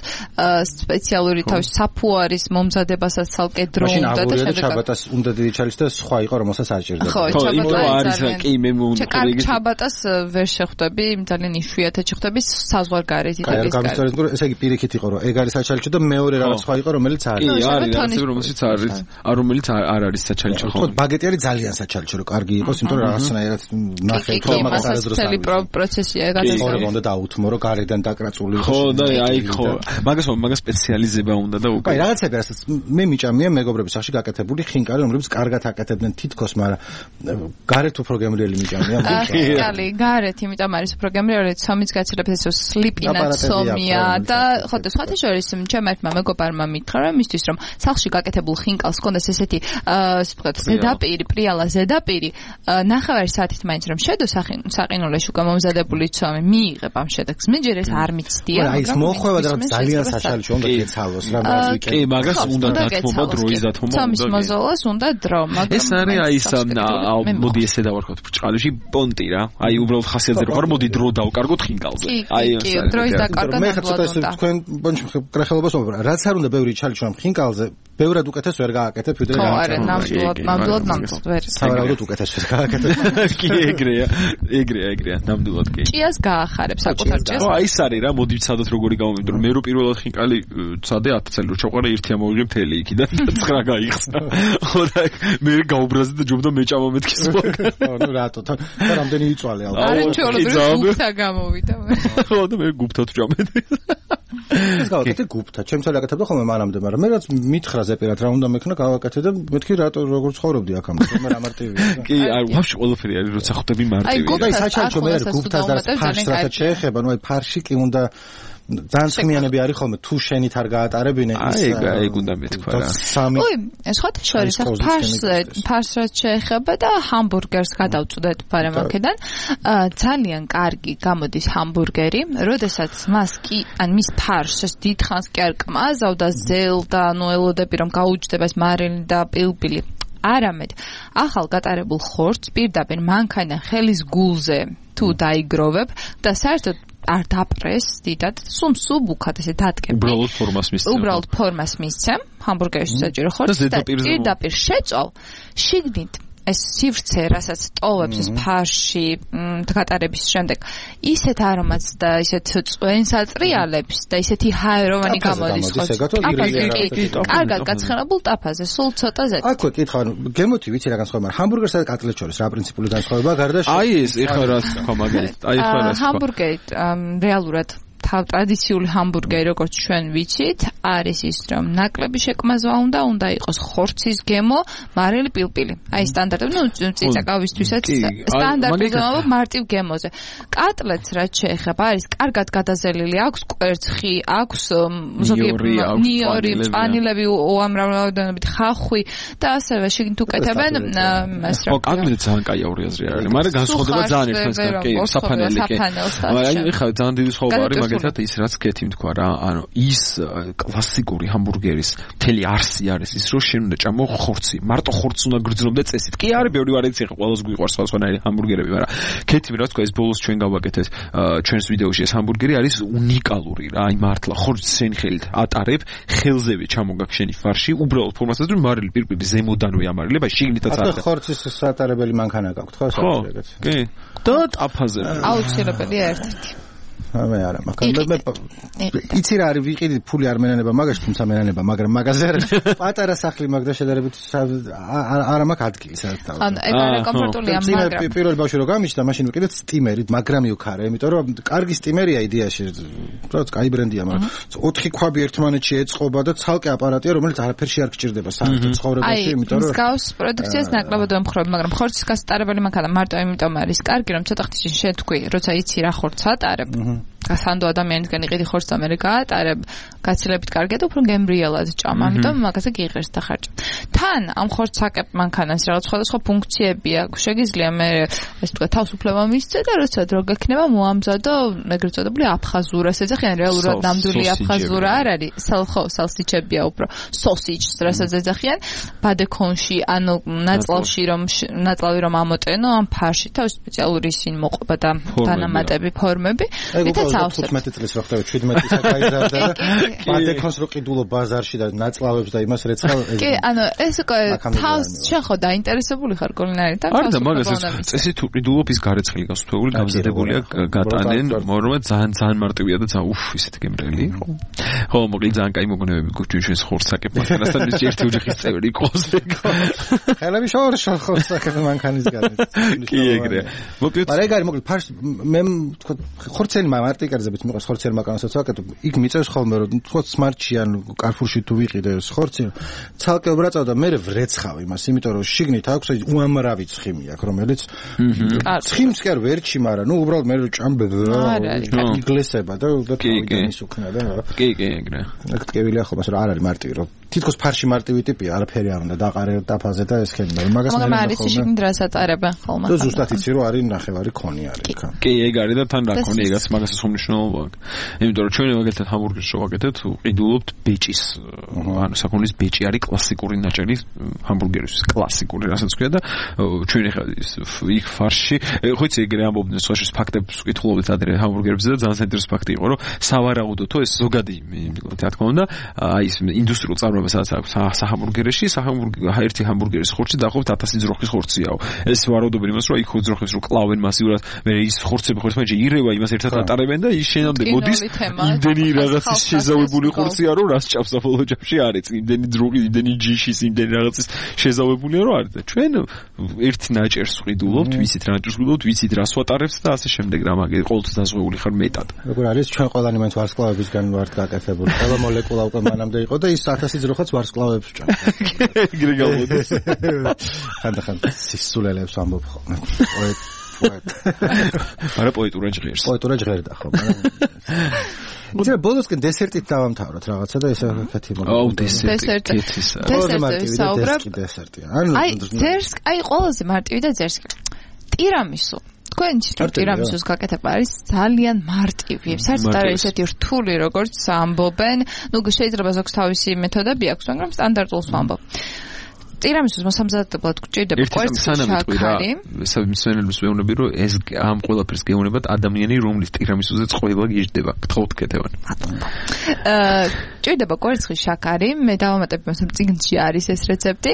სპეციალური თავის საფუარის მომზადებასაც ცალკე დრო უნდა და შემდეგ ჩაბატას უნდა დიდი ჩალიჩი და სხვა იყო რომელსაც არ ჭირდება. ხო, ჩაბატას კი მე ჩაბატას ვერ შეხვდები, ძალიან იშვიათად შეხვდები საზღვარგარეთ იტალიის გარეთ. გამოსწორეთ, ესე იგი პირიქით იყო, რომ ეგ არის საჩალიჩო და მეორე რაღაც სხვა იყო, რომელიც არის. კი, არის რაღაც რომელსაც არის, რომელიც არ არის საჩალიჩო ხო. ხო, ბაგეტი არის ძალიან საჩალიჩო, რომ კარგი იყოს, იმიტომ რომ რაღაცნაირად ნახე თქო მაგას არასდროს არის. პროცესია გადასწორი. უნდა დაუთმო, რომ გარედან დაკრაწული იყოს. ხო, და აი ხო. მაგას სპეციალიზება უნდა და უკვე. აი რაღაცები რასაც მე მიჭამია მეგობრების სახში გაკეთებული ხინკალი, რომლებიც კარგად აკეთებდნენ თითქოს, მაგრამ გარეთ უფრო გემრიელი მიჭამია. კალი გარეთ, იმიტომ არის პროგრამირებული ცომის გაცილებით ეს სლიპინა ცომია და ხო და სხვათა შორის ჩემ ერთმა მეგობარმა მითხრა რომ მისთვის რომ სახლში გაკეთებულ ხინკალს ჰქონდეს ესეთი ვთქვათ ზედაპირი, პრიალა ზედაპირი, ნახევარი საათით მაინც რომ შედო საყინულეში უკვე მომზადებული ცომი მიიღებ ამ შედეგს. მე ჯერ ეს არ მიცდია, მაგრამ აი ეს მოხვევა და ძალიან საშალში უნდა გეცალოს რა მაგიკე. კი, მაგას უნდა დათმობა, დროის დათმობა. ცომის მოზოლას უნდა დრო, მაგრამ ეს არის აი ეს მოდი ესე დავარქოთ ბრჭყალში პონტი რა. აი უბრალოდ ხასიათზე რომ არ მოდი დრო დავკარგოთ ხინკალზე. აი დროის დაკარგვა მე ცოტა ისე თქვენ ბონჩი კრეხელობას ვამბობ. რაც არ უნდა ბევრი ჩალიჩვამ ხინკალზე ბევრად უკეთეს ვერ გააკეთებ ვიდრე რა. ხო, არა, ნამდვილად ვერ. სავარაუდოდ უკეთეს ვერ გააკეთებ. კი ეგრეა, ნამდვილად კი. ჭიას გაახარებ საკუთარ ჭიას. ხო, აი ეს არის რა, მოდი ვცადოთ როგორი გამომიდრო. მე რო პირველად ხინკალი ვცადე 10 წელი რო ჩავყარე 1 ამოვიღე მთელი იქიდან და 9 გაიხსნა. ხო და მე გაუბრაზდი და ჯობდა მეჭამა მეთქის მაგ. ხო, ნუ რატო თან რამდენი იწვალე ალბათ. არა ჩვეულებრივ გუფთა გამოვიდა. ხო და მე გუფთად ვჭამედი. ეს გავაკეთე გუფთა. ჩემს არ აკეთებდა ხოლმე მანამდე, მაგრამ მე რაც მითხრა ზეპირად რა უნდა მექნა გავაკეთე და მეთქი რატო როგორ ცხოვრობდი აქამდე. მე რა მარტივია. კი, აი ვაფშე ყველაფერი არის როცა ხვდები მარტივია. აი საჩალჩო მე გუფთას და ფარშს რასაც შეეხება, ნუ აი ფარში კი უნდა ძალიან წმიანები არის ხოლმე თუ შენით არ გაატარებინე ეგ უნდა მეთქვა რა. ой, სხვათა შორის ფარს რაც შეეხება და ჰამბურგერს გადავწუდეთ ბარემაკედან. ძალიან კარგი გამოდის ჰამბურგერი, როდესაც მას კი ან მის ფარშს დიდხანს კი არ კმაზავდა ზელ და ანუ ელოდები რომ გაუჯდება ეს მარილი და პილპილი. არამედ ახალ გატარებულ ხორცს პირდაპირ მანქანა ხელის გულზე თუ დაიგროვებ და საერთოდ არ დაპრეს დიდად, სუბუქად ესე დადგები. უბრალოდ ფორმას მისცემ, ჰამბურგერის საჭირო ხორცს და პირდაპირ შეწვალ, შიგნით ეს სივრცე, რასაც ტოვებს ეს ფარში გატარების შემდეგ, ისეთ არომატს და ისეთ წვენს ატრიალებს და ისეთი ჰაეროვანი გამოდის ხორცი. კარგად გაცხენებულ ტაფაზე, სულ ცოტა ზეთ. აქვე კითხვა, გემოთი ვიცი რა განსხვავება, ჰამბურგერსა და კატლეტს შორის რა პრინციპული განსხვავებაა გარდა აი ეს ეხლა რა თქვა მაგალითად, აი ეხლა რა თქვა. ჰამბურგერი რეალურად ტრადიციული ჰამბურგერი როგორც ჩვენ ვიცით, არის ის რომ ნაკლები შეკმაზვა უნდა იყოს ხორცის გემო, მარილი პილპილი. აი სტანდარტები, ნუ წიწაკავისთვისაც სტანდარტული მარტივ გემოზე. კატლეტს რაც შეეხება, არის კარგად გადაზელილი, აქვს კვერცხი, აქვს ზოგიერთი ნიორი, წანილები უამრავი ხახვი და ასევე შიგნით უკეთებენ მას რა. კატლეტი ძალიან კაი აური აზრი არის, მაგრამ განსხვავდება ძალიან ერთმანეთთან, კი, საფანელი კი. აი ეხლა ძალიან დიდი სხვაობა არის მაგალითად ის რაც კეთი თქვა რა, ანუ ის კლასიკური ჰამბურგერის მთელი არსი არის ის რომ შენ უნდა ჭამო ხორცი, მარტო ხორცს უნდა გრძნობ და წესით. კი არის ბევრი ვარიაცია, ყველას გვიყვარს სხვადასხვანაირი ჰამბურგერები, მაგრამ კეთი რა თქვა ეს ბოლოს ჩვენ გავაკეთეთ ჩვენს ვიდეოში ეს ჰამბურგერი არის უნიკალური რა, აი მართლა ხორცს შენ ხელით ატარებ, ხელზევე ჩამოგაქ შენი ფარში, უბრალოდ ფორმასაც რომ მარილი პირპილი ზემოდანვე ამარილება, შიგნითაც არის. ახლა ხორცის სატარებელი მანქანა გაქვთ ხო საერთოდ? კი. და ტაფაზე. აუცილებელია ერთ-ერთი. მე არა, მაგრამ მე იცი რა არის ვიყიდი ფული არ მენანება მაგაში, თუმცა მენანება, მაგრამ მაგაზე არის პატარა სახლი მაგ და შედარებით არა მაქვს ადგილი სადაც დავდივარ. ანუ ეგ არა კომფორტულია, მაგრამ პირველ ბავშვი რო გამიჩნდა, მაშინ ვიყიდეთ სტიმერით, მაგრამ მივქარე, იმიტომ რომ კარგი სტიმერია იდეაში, რაც კაი ბრენდია, მაგრამ 4 ქვაბი ერთმანეთში ეწყობა და ცალკე აპარატია, რომელიც არაფერში არ გჭირდება საერთოდ ცხოვრებაში, იმიტომ რომ გავს პროდუქციას ნაკლებად ვემხრობ, მაგრამ ხორცის გასატარებელი მანქანა მარტო იმიტომ არის კარგი, რომ ცოტა ხნის წინ შეთქვი, როცა იცი რა ხორცს ატარებ. გასანდო ადამიანისგან იყიდი ხორცს ამერე გაატარებ, გაცილებით კარგია და უფრო გემრიელად ჭამ, ამიტომ მაგაზე გიღერს და ხარჯი. თან ამ ხორცს აკებ მანქანას რაღაც სხვადასხვა ფუნქციები აქვს. შეგიძლია მე ეს თქვა თავისუფლება მისცე და როცა დრო გექნება მოამზადო ეგრეთ წოდებული აფხაზურას ეძახიან, რეალურად ნამდვილი აფხაზურა არ არის, სალსიჩებია უფრო, სოსიჯს რასაც ეძახიან, ბადეკონში, ანუ ნაწლავი რომ ამოტენო ამ ფარში თავის სპეციალური ისინი მოყვება და დანამატები ფორმები. 15 წლის რო ხდება 17-ისა გაიზარდა და ბადეკონს რო ყიდულო ბაზარში და ნაწლავებს და იმას რეცხავ კი, ანუ ეს თავს შეხო დაინტერესებული ხარ კულინარიით? არა და მაგას წესი თუ ყიდულობ ის გარეცხილი გასწრებული გამზადებულია გატანენ, მაგრამ ძალიან მარტივია და ძალიან ისეთი გემრიელი. ხო, მოკლედ ძალიან კაი მოგონებები გვაქვს ჩვენს ხორცსაკებ მანქანასთან ის ერთი ოჯახის წევრი იყოს ეგ. ხელები შორშო ხორცსაკებ მანქანისგან. კი ეგრეა. მოკლედ მაგრამ ეგ არის მოკლედ ფარში მე თქვა ხორცელი მარტიკარზებით მიყვარს ხორცელი მანქანასაც ვაკეთებ. იქ მიწევს ხოლმე რომ თქვა სმარტში ან კარფურში თუ ვიყიდე ეს ხორცი ცალკე ვბრაწავ და მე ვრეცხავ იმას, იმიტომ რომ შიგნით აქვს აი უამრავი ცხიმი აქვს, რომელიც ცხიმს კი არ ვერჩი, მაგრამ ნუ უბრალოდ მე ჭამბე იგლესება და თავიდან ისუქნა და კი ეგრე. აქ ტკევილია ხოლმე რომ არ არის მარტივი, რომ თითქოს ფარში მარტივი ტიპია, არაფერი არ უნდა დაყარე დაფაზე და ეს ხელი, მაგას მე არის შიგნით რასაც ატარებენ ხოლმე. და ზუსტად იცი რომ არის ნახევარი ქონი არის იქ. კი ეგ არის და თან რა ქონი ეგაც მაგასაც ხომ მნიშვნელობა აქვს. იმიტომ რომ ჩვენ მაგალითად ჰამბურგერს შევაკეთებთ, ყიდულობთ ბეჭის, ანუ საქონლის ბეჭი არის კლასიკური ნაჭერი ჰამბურგერის, კლასიკური, რასაც ქვია და ჩვენ ახლა იქ ფარში, ხო იცი ეგრე ამბობდნენ სხვაშორის ფაქტებს ვკითხულობთ ადრე ჰამბურგერებზე და ძალიან საინტერესო ფაქტი იყო, რომ სავარაუდოთო ეს ზოგადი, რა თქმა უნდა, აი ეს ინდუსტრიულ წარმოებას აქვს საჰამბურგერში, ერთი ჰამბურგერის ხორცი დაახლოებით 1000 ძროხის ხორციაო. ეს ვარაუდობენ იმას, რომ იქ ძროხებს რო კლავენ მასიურად, მე ის ხორცები ხორცმაჯი ირევა იმას ერთად ატარებენ და ის შენამდე მოდის იმდენი რაღაცის შეზავებული ხორცია, რომ რას ჭამს საბოლოო ჯამში არის. იმდენი ძროხი, იმდენი ჯიშის, იმდენი რაღაცის შეზავებულია, რომ არის და ჩვენ ერთ ნაჭერს ვყიდულობთ, ვიცით რა ნაჭერს ვყიდულობთ, ვიცით რას ვატარებთ და ასე შემდეგ რა მაგე ყოველთვის დაზღვეული ხარ მეტად. როგორ არის ჩვენ ყველანი მაინც ვარსკვლავებისგან ვართ გაკეთებული. ყველა მოლეკულა უკვე მანამდე იყო და ის 1000 ძროხაც ვარსკვლავებს ჭამს. ეგრე გავუდეს. ხანდახან სისულელებს ამბობ ხოლმე. არა პოეტურა ჟღერს. პოეტურა ჟღერდა ხო, მაგრამ იცი ბოლოსკენ დესერტით დავამთავროთ რაღაცა და ესე ვქეთი მოგო. აუ დესერტი. დესერტია. აი ძერსკი, აი ყველაზე მარტივი და ძერსკი. ტირამისუ. თქვენ ტირამისუს გაკეთება არის ძალიან მარტივი. საერთოდ არის ესეთი რთული, როგორც ამბობენ. ნუ შეიძლება ზოგს თავისი მეთოდები აქვს, მაგრამ სტანდარტულს ვამბობ. ტირამისუს მოსამზადებლად გვჭირდება კვერცხის შაქარი. მსმენელებს ვეუბნები, რომ ეს ამ ყველაფერს გეუბნებათ ადამიანი, რომლის ტირამისუზეც ყველა გიждდება. გთხოვთ კეთებან. ჭირდება კვერცხის შაქარი. მე დავამატებ იმას, რომ წიგნში არის ეს რეცეპტი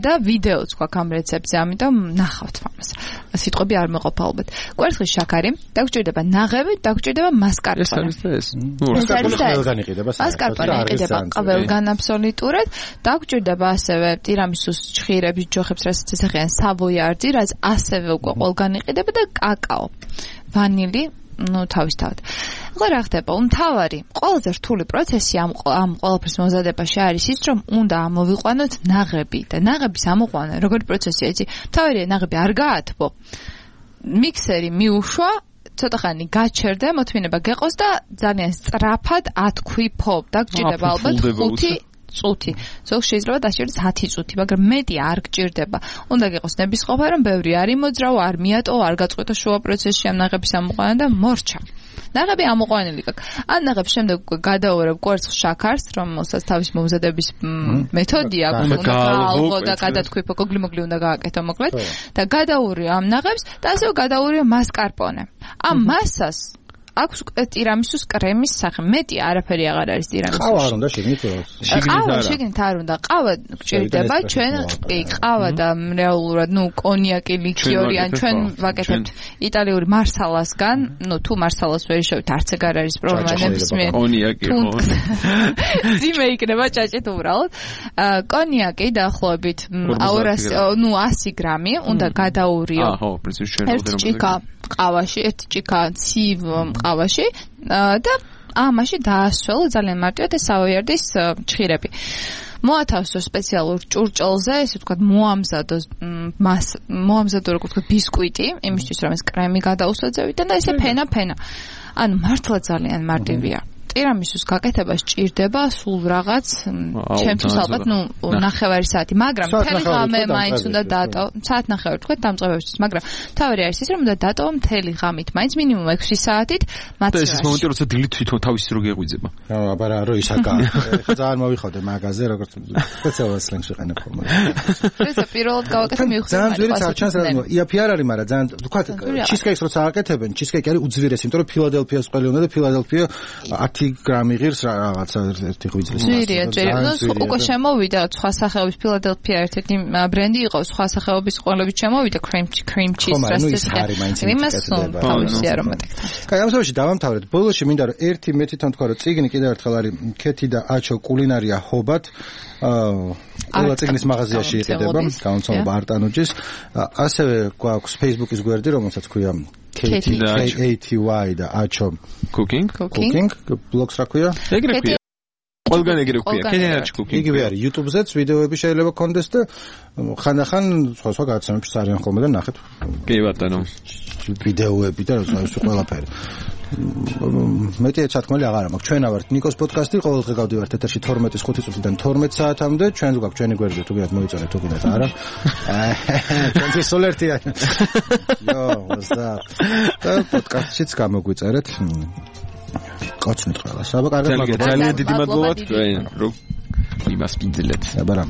და ვიდეოც გვაქვს ამ რეცეპტზე, ამიტომ ნახავთ ამას. სიტყვები არ მეყოფა ალბათ. კვერცხის შაქარი, დაგჭირდება ნაღები, დაგჭირდება მასკარპონე. ეს ყველგან იყიდება. მასკარპონე იყიდება ყველგან აბსოლუტურად. დაგჭირდება ასევე ტირამისუს ჭხირების ჯოხებს, რასაც ესახიან სავოიარდი, რაც ასევე უკვე ყველგან იყიდება და კაკაო. ვანილი ну თავისთავად. ახლა რა ხდება? მთავარი, ყველაზე რთული პროცესი ამ ყველაფრის მომზადებაში არის ის, რომ უნდა ამოვიყვანოთ ნაღები და ნაღების ამოყვანა როგორი პროცესია იცი? მთავარია ნაღები არ გაათბო. მიქსერი მიუშვა, ცოტა ხანი გაჩერდა, მოთმინება გეყოს და ძალიან სწრაფად ათქვიფო. დაგჭირდება ალბათ 5 წუთი. ზოგს შეიძლება დაჭირდეს 10 წუთი, მაგრამ მეტი არ გჭირდება. უნდა გიყოს ნებისყოფა, რომ ბევრი არ იმოძრავო, არ მიატოვო, არ გაწყვეტო შუა პროცესში ამ ნაღების ამოყვანა და მორჩა. ნაღები ამოყვანილი გაქვს. ან ნაღებს შემდეგ გადაუვერებ კვერცხს შაქარს, რომელსაც თავის მომზადების მეთოდი აქვს, უნდა გაალღო და გადათქვიფო, გოგლი-მოგლი უნდა გააკეთო მოკლედ და გადაურიო ამ ნაღებს და ასევე გადაურიო მასკარპონე. ამ მასას აქვს ტირამისუს კრემის სახე. მეტი არაფერი აღარ არის ტირამისუში. ყავა არ უნდა შეგნით? შეგნით არ უნდა. ყავა გჭირდება, ჩვენ კი ყავა და რეალურად, ნუ კონიაკი, ლიქიორი, ან ჩვენ ვაკეთებთ იტალიური მარსალასგან, ნუ თუ მარსალას ვერ შევით, არც ეგ არ არის პრობლემა, ნებისმიერ კონიაკი ხო. ძიმე იქნება ჭაჭით უბრალოდ. კონიაკი დაახლოებით 100 გრამი უნდა გადაურიო. ხო, პრინციპში ჩვენ ერთ ჭიქა ყავაში, ერთ ჭიქა ცივ ყავაში და ამაში დაასველო ძალიან მარტივად ეს სავოიარდის ჭხირები. მოათავსო სპეციალურ ჭურჭელზე, ესე ვთქვათ, მოამზადო როგორ ვთქვათ ბისკვიტი, იმისთვის რომ ეს კრემი გადაუსვაძევიდან და ესე ფენა. ანუ მართლა ძალიან მარტივია. ტირამისუს გაკეთება სჭირდება სულ რაღაც ჩემთვის ალბათ ნუ 9 საათი, მაგრამ მთელი ღამე მაინც უნდა დატოვო, საათ 9 თქვენ დამწყებებისთვის, მაგრამ თავი არის ის რომ უნდა დატოვო მთელი ღამით, მაინც მინიმუმ 6 საათით მაცივაში. ეს მომენტი როცა დილით თვითონ თავისი რო გეღვიძება. აბა რა რო ისაკა. ძალიან მოვიხოდე მაგაზე, როგორც სპეციალურ სლენგს ვიყენებ ხოლმე. ეს პირველად გავაკეთე მივხვდი. ძალიან ძვირი არჩანს რა იაფი არ არის, მაგრამ ძალიან ვთქვათ ჩიზკეიქს როცა აკეთებენ, ჩიზკეიკი არის უძვირესი, იმიტომ რომ ფილადელფიას ყველი უნდა და ფილადელფია 10 გრამი ღირს რაღაცა ერთი ღვიძლის მასა. ძვირია. უკვე შემოვიდა სხვა სახეობის ფილადელფია ერთ-ერთი ბრენდი იყო, სხვა სახეობის ყველებით შემოვიდა cream cheese რასტის. იმას თავისი არომატი. კაი, ამ შემთხვევაში დავამთავრეთ. ბოლოში მინდა რომ ერთი მე თვითონ თქვა რომ წიგნი კიდევ ერთხელ არის ქეთი და აჩო კულინარია ჰობად. ყველა წიგნის მაღაზიაში იყიდება, გამომცემლობა არტანუჯის. ასევე გვაქვს Facebook-ის გვერდი, რომელსაც ქვია KTY და აჩო cooking ბლოგს რა ქვია? ეგრე ქვია. ყველგან ეგრე ქვია. KTY cooking. იგივე არის YouTube-ზეც ვიდეოები შეიძლება გქონდეს და ხანდახან სხვა გადაცემებში არიან ხოლმე და ნახეთ. კი ბატონო. ვიდეოები და ყველაფერი. მეტი სათქმელი აღარ მაქვს. ჩვენ ავართ ნიკოს პოდკასტი, ყოველ დღე გავდივართ ეთერში 12-ის 5 წუთიდან 12 საათამდე. ჩვენს გვაქვს ჩვენი გვერდი, თუ გინდათ მოიწონეთ, თუ გინდათ არა. ჩვენთვის სულ ერთია. Yo, what's up? და პოდკასტშიც გამოგვიწერეთ. კოცნით ყველას. აბა კარგად ძალიან დიდი მადლობა თქვენ რომ იმას პინძილეთ. აბა რა.